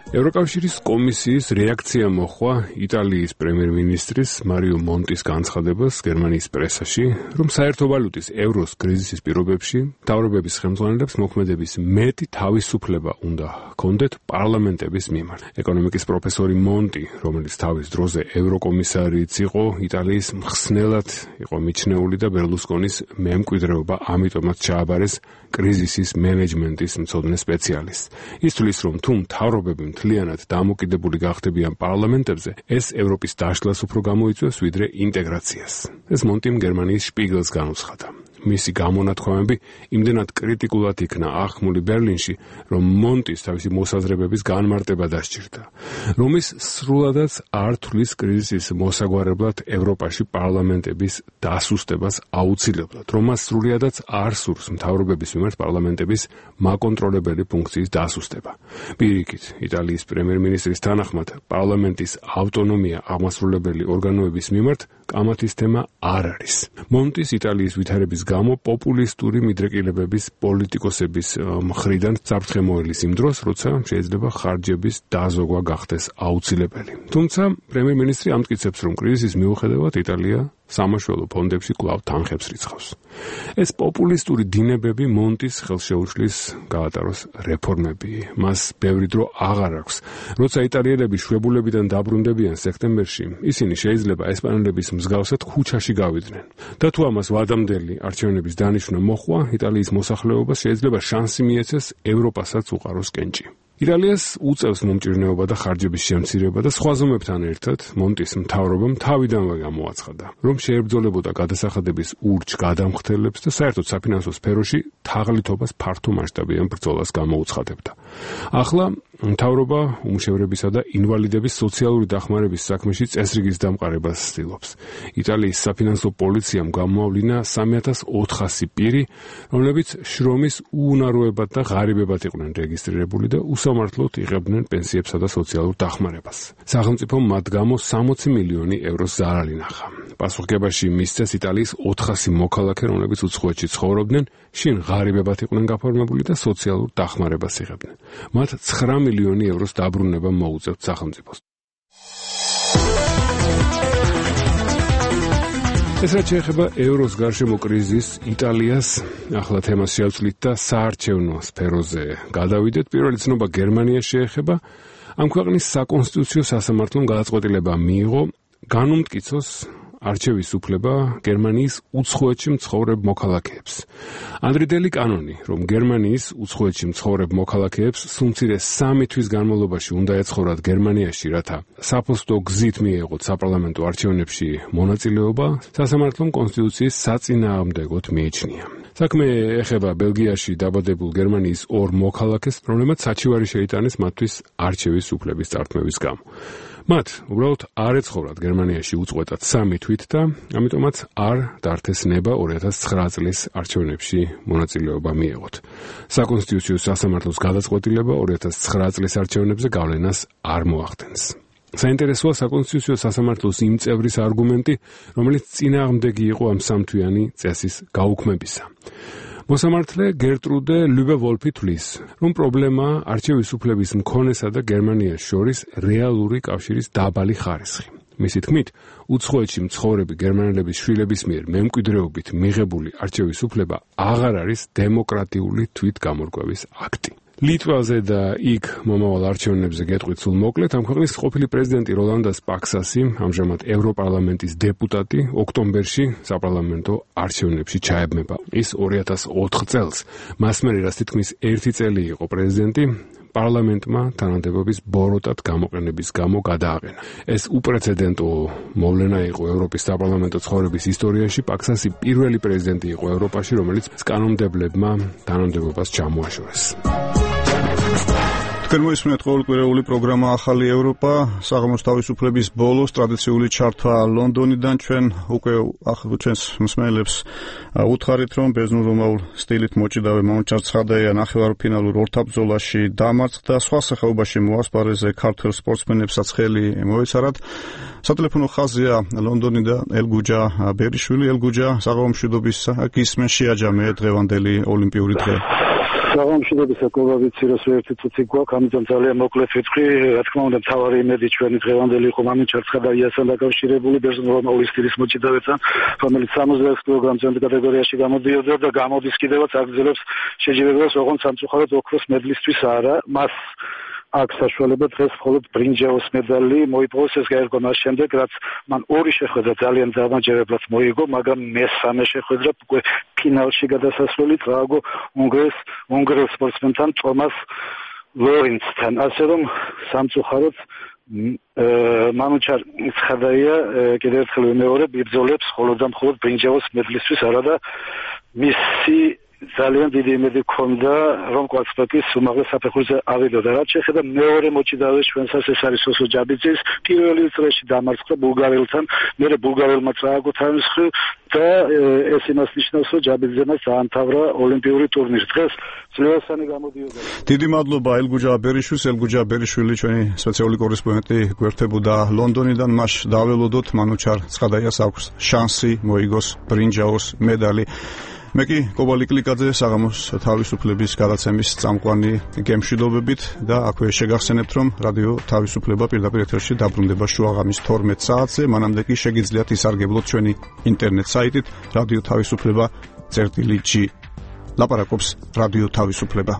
ევროკავშირის კომისიის რეაქცია მოხდა იტალიის პრემიერ-მინისტრის მარიო მონტის განცხადებას გერმანიის პრესაში, რომ საერთო ვალუტის ევროს კრიზისის პირობებში მთავრობების ხელმძღვანელებს მოქმედების მეტი თავისუფლება უნდა ჰქონდეთ პარლამენტების მიმართ. ეკონომიკის პროფესორი მონტი, რომელიც თავის დროზე ევროკომისარიც იყო, იტალიის მხსნელად იყო მიჩნეული და ბერლუსკონის მემკვიდრეობა ამიტომაც ჩააბარეს კრიზისის მენეჯმენტის მცოდნე სპეციალისტს. ის თვლის, რომ თუ მთავრობები მთლიანად დამოკიდებული გახდებიან პარლამენტებზე, ეს ევროპის დაშლას უფრო გამოიწვევს, ვიდრე ინტეგრაციას. ეს მონტიმ გერმანიის შპიგელს განუცხადა. მისი გამონათქვამები იმდენად კრიტიკულად იქნა აღქმული ბერლინში, რომ მონტის თავისი მოსაზრებების განმარტება დასჭირდა. რომ ის სრულადაც არ თვლის კრიზისის მოსაგვარებლად ევროპაში პარლამენტების დასუსტებას აუცილებლად, რომ მას სრულიადაც არ სურს მთავრობების მიმართ პარლამენტების მაკონტროლებელი ფუნქციის დასუსტება. პირიქით, იტალიის პრემიერ-მინისტრის თანახმად, პარლამენტის ავტონომია აღმასრულებელი ორგანოების მიმართ კამათის თემა არ არის. მონტის იტალიის ვითარების გამო პოპულისტური მიდრეკილებების პოლიტიკოსების მხრიდან საფრთხე მოელის იმ დროს, როცა შეიძლება ხარჯების დაზოგვა გახდეს აუცილებელი. თუმცა პრემიერ-მინისტრი ამტკიცებს, რომ კრიზისის მიუხედავად იტალია სამაშველო ფონდებში კვლავ თანხებს რიცხავს. ეს პოპულისტური დინებები მონტის ხელშეუშლის გაატაროს რეფორმები. მას ბევრი დრო აღარ აქვს. როცა იტალიელები შვებულებიდან დაბრუნდებიან სექტემბერში, ისინი შეიძლება ესპანელების მსგავსად ქუჩაში გავიდნენ. და თუ ამას ვადამდელი არჩევნების დანიშვნა მოხვა, იტალიის მოსახლეობას შეიძლება შანსი მიეცეს ევროპასაც უყაროს კენჭი. იტალიას უწევს მომჭირნეობა და ხარჯების შემცირება და სხვა ზომებთან ერთად მონტის მთავრობამ თავიდანვე გამოაცხადა, რომ შეებრძოლებოდა გადასახადების ურჩ გადამხდელებს და საერთოდ საფინანსო სფეროში თაღლითობას ფართო მასშტაბიან ბრძოლას გამოუცხადებდა. ახლა მთავრობა უმშევრებისა და ინვალიდების სოციალური დახმარების საქმეში წესრიგის დამყარებას ცდილობს. იტალიის საფინანსო პოლიციამ გამოავლინა სამი ათას ოთხასი პირი, რომლებიც შრომის უუნაროებად და ღარიბებად იყვნენ რეგისტრირებული და უსამართლოდ იღებდნენ პენსიებსა და სოციალურ დახმარებას. სახელმწიფომ მათ გამო სამოცი მილიონი ევროს ზარალი ნახა. პასუხგებაში მისცეს იტალიის ოთხასი მოქალაქე, რომლებიც უცხოეთში ცხოვრობდნენ, შინ ღარიბებად იყვნენ გაფორმებული და სოციალურ დახმარებას იღებდნენ. მათ ცხრა მილიონი ევროს დაბრუნება მოუწევთ სახელმწიფოს. ეს რაც შეეხება ევროს გარშემო კრიზისს, იტალიას ახლა თემას შევცვლით და საარჩევნო სფეროზე გადავიდეთ. პირველი ცნობა გერმანიას შეეხება. ამ ქვეყნის საკონსტიტუციო სასამართლომ გადაწყვეტილება მიიღო განუმტკიცოს არჩევის უფლება გერმანიის უცხოეთში მცხოვრებ მოქალაქეებს. ადრიდელი კანონი, რომ გერმანიის უცხოეთში მცხოვრებ მოქალაქეებს სულ მცირე სამი თვის განმავლობაში უნდა ეცხოვრათ გერმანიაში, რათა საფოსტო გზით მიეღოთ საპარლამენტო არჩევნებში მონაწილეობა, სასამართლომ კონსტიტუციის საწინააღმდეგოდ მიიჩნია. საქმე ეხება ბელგიაში დაბადებულ გერმანიის ორ მოქალაქეს, რომლებმაც საჩივარი შეიტანეს მათთვის არჩევის უფლების წართმევის გამო. მათ უბრალოდ არ ეცხოვრათ გერმანიაში უწყვეტად სამი თვით და ამიტომაც არ დართეს ნება ორი ათას ცხრა წლის არჩევნებში მონაწილეობა მიეღოთ. საკონსტიტუციო სასამართლოს გადაწყვეტილება ორი ათას ცხრა წლის არჩევნებზე გავლენას არ მოახდენს. საინტერესოა საკონსტიტუციო სასამართლოს იმ წევრის არგუმენტი, რომელიც წინააღმდეგი იყო ამ სამთვიანი წესის გაუქმებისა. მოსამართლე გერტრუდე ლუბე-ვოლფი თვლის, რომ პრობლემაა არჩევის უფლების მქონესა და გერმანიას შორის რეალური კავშირის დაბალი ხარისხი. მისი თქმით, უცხოეთში მცხოვრები გერმანელების შვილების მიერ მემკვიდრეობით მიღებული არჩევის უფლება აღარ არის დემოკრატიული თვითგამორკვევის აქტი. ლიტვაზე და იქ მომავალ არჩევნებზე გეტყვით სულ მოკლედ, ამ ქვეყნის ყოფილი პრეზიდენტი როლანდას პაქსასი, ამჟამად ევროპარლამენტის დეპუტატი, ოქტომბერში საპარლამენტო არჩევნებში ჩაებმება. ის ორი ათას ოთხ წელს, მას მერე რაც თითქმის ერთი წელი იყო პრეზიდენტი, პარლამენტმა თანამდებობის ბოროტად გამოყენების გამო გადააყენა. ეს უპრეცედენტო მოვლენა იყო ევროპის საპარლამენტო ცხოვრების ისტორიაში. პაქსასი პირველი პრეზიდენტი იყო ევროპაში, რომელიც კანონმდებლებმა თანამდებობას ჩამოაშორეს. თქვენ მოისმენთ ყოველკვირეული პროგრამა ახალი ევროპა, საღამოს თავისუფლების ბოლოს ტრადიციული ჩართვა ლონდონიდან. ჩვენ უკვე ჩვენს მსმენელებს უთხარით, რომ ბერძნულ-რომაულ სტილით მოჭიდავე მომჩარ ცხადაია ნახევარფინალურ ორთაბრძოლაში დამარცხდა. სხვა სახეობაში მოასპარეზე ქართველ სპორტსმენებსაც ხელი მოეცარათ. სატელეფონო ხაზია ლონდონიდან ელგუჯა ბერიშვილი. ელგუჯა, საღამო მშვიდობის გისმენ შეაჯამე დღევანდელი ოლიმპიური დღე. საღამოშიდების აკოვავიცი რომ ერთი წუთი გვაქვს, ამიტომ ძალიან მოკლედ ვიტყვი, რა თქმა უნდა, მთავარი იმედი ჩვენი დღევანდელი იყო მანუჩარ ცხადაიასთან დაკავშირებული ბერძნული სტილის მოჭიდავეთან, რომელიც სამოცდაექვსი კილოგრამზე კატეგორიაში გამოდიოდა და გამოდის კიდევაც აგრძელებს შეჯიბრებას, ოღონდ სამწუხაროდ ოქროს მედლისთვის არა, მას აქ საშუალება დღეს მხოლოდ ბრინჯაოს მედალი მოიპოვოს, ეს გაერგო მას შემდეგ, რაც მან ორი შეხვედრა ძალიან დამაჯერებლად მოიგო, მაგრამ მესამე შეხვედრა უკვე ფინალში გადასასვლელი წააგო უნგრეს უნგრელ სპორტსმენთან ტომას ლორენცთან, ასე რომ სამწუხაროდ მანუჩარ ცხადაია კიდევ ერთხელ ვიმეორებ, იბრძოლებს მხოლოდ და მხოლოდ ბრინჯაოს მედლისთვის, არა და მისი ძალიან დიდი იმედი ჰქონდა, რომ კვარცხლბეკის უმაღლეს საფეხურზე ავიდოდა. რაც შეეხება მეორე მოჭიდავეს ჩვენსაც, ეს არის სოსო ჯაბიძის, პირველი წრეში დამარცხდა ბულგარელთან, მერე ბულგარელმა წააგო თავისხი და ეს იმას ნიშნავს, რომ ჯაბიძემაც დაამთავრა ოლიმპიური ტურნირი. დღეს ძლევასანი გამოდიოდა. დიდი მადლობა ელგუჯა ბერიშვილს, ელგუჯა ბერიშვილი ჩვენი სპეციალური კორესპონდენტი გვერდებოდა ლონდონიდან. მას დაველოდოთ მანუჩარ ცხადაიას აქვს შანსი მოიგოს ბრინჯაოს მედალი. მე კი კობალი კლიკაძე საღამოს თავისუფლების გადაცემის წამყვანი გემშვიდობებით და აქვე შეგახსენებთ, რომ რადიო თავისუფლება პირდაპირ ეთერში დაბრუნდება შუაღამის თორმეტ საათზე, მანამდე კი შეგიძლიათ ისარგებლოთ ჩვენი ინტერნეტ საიტით რადიო თავისუფლება წერტილი ჯი. ლაპარაკობს რადიო თავისუფლება.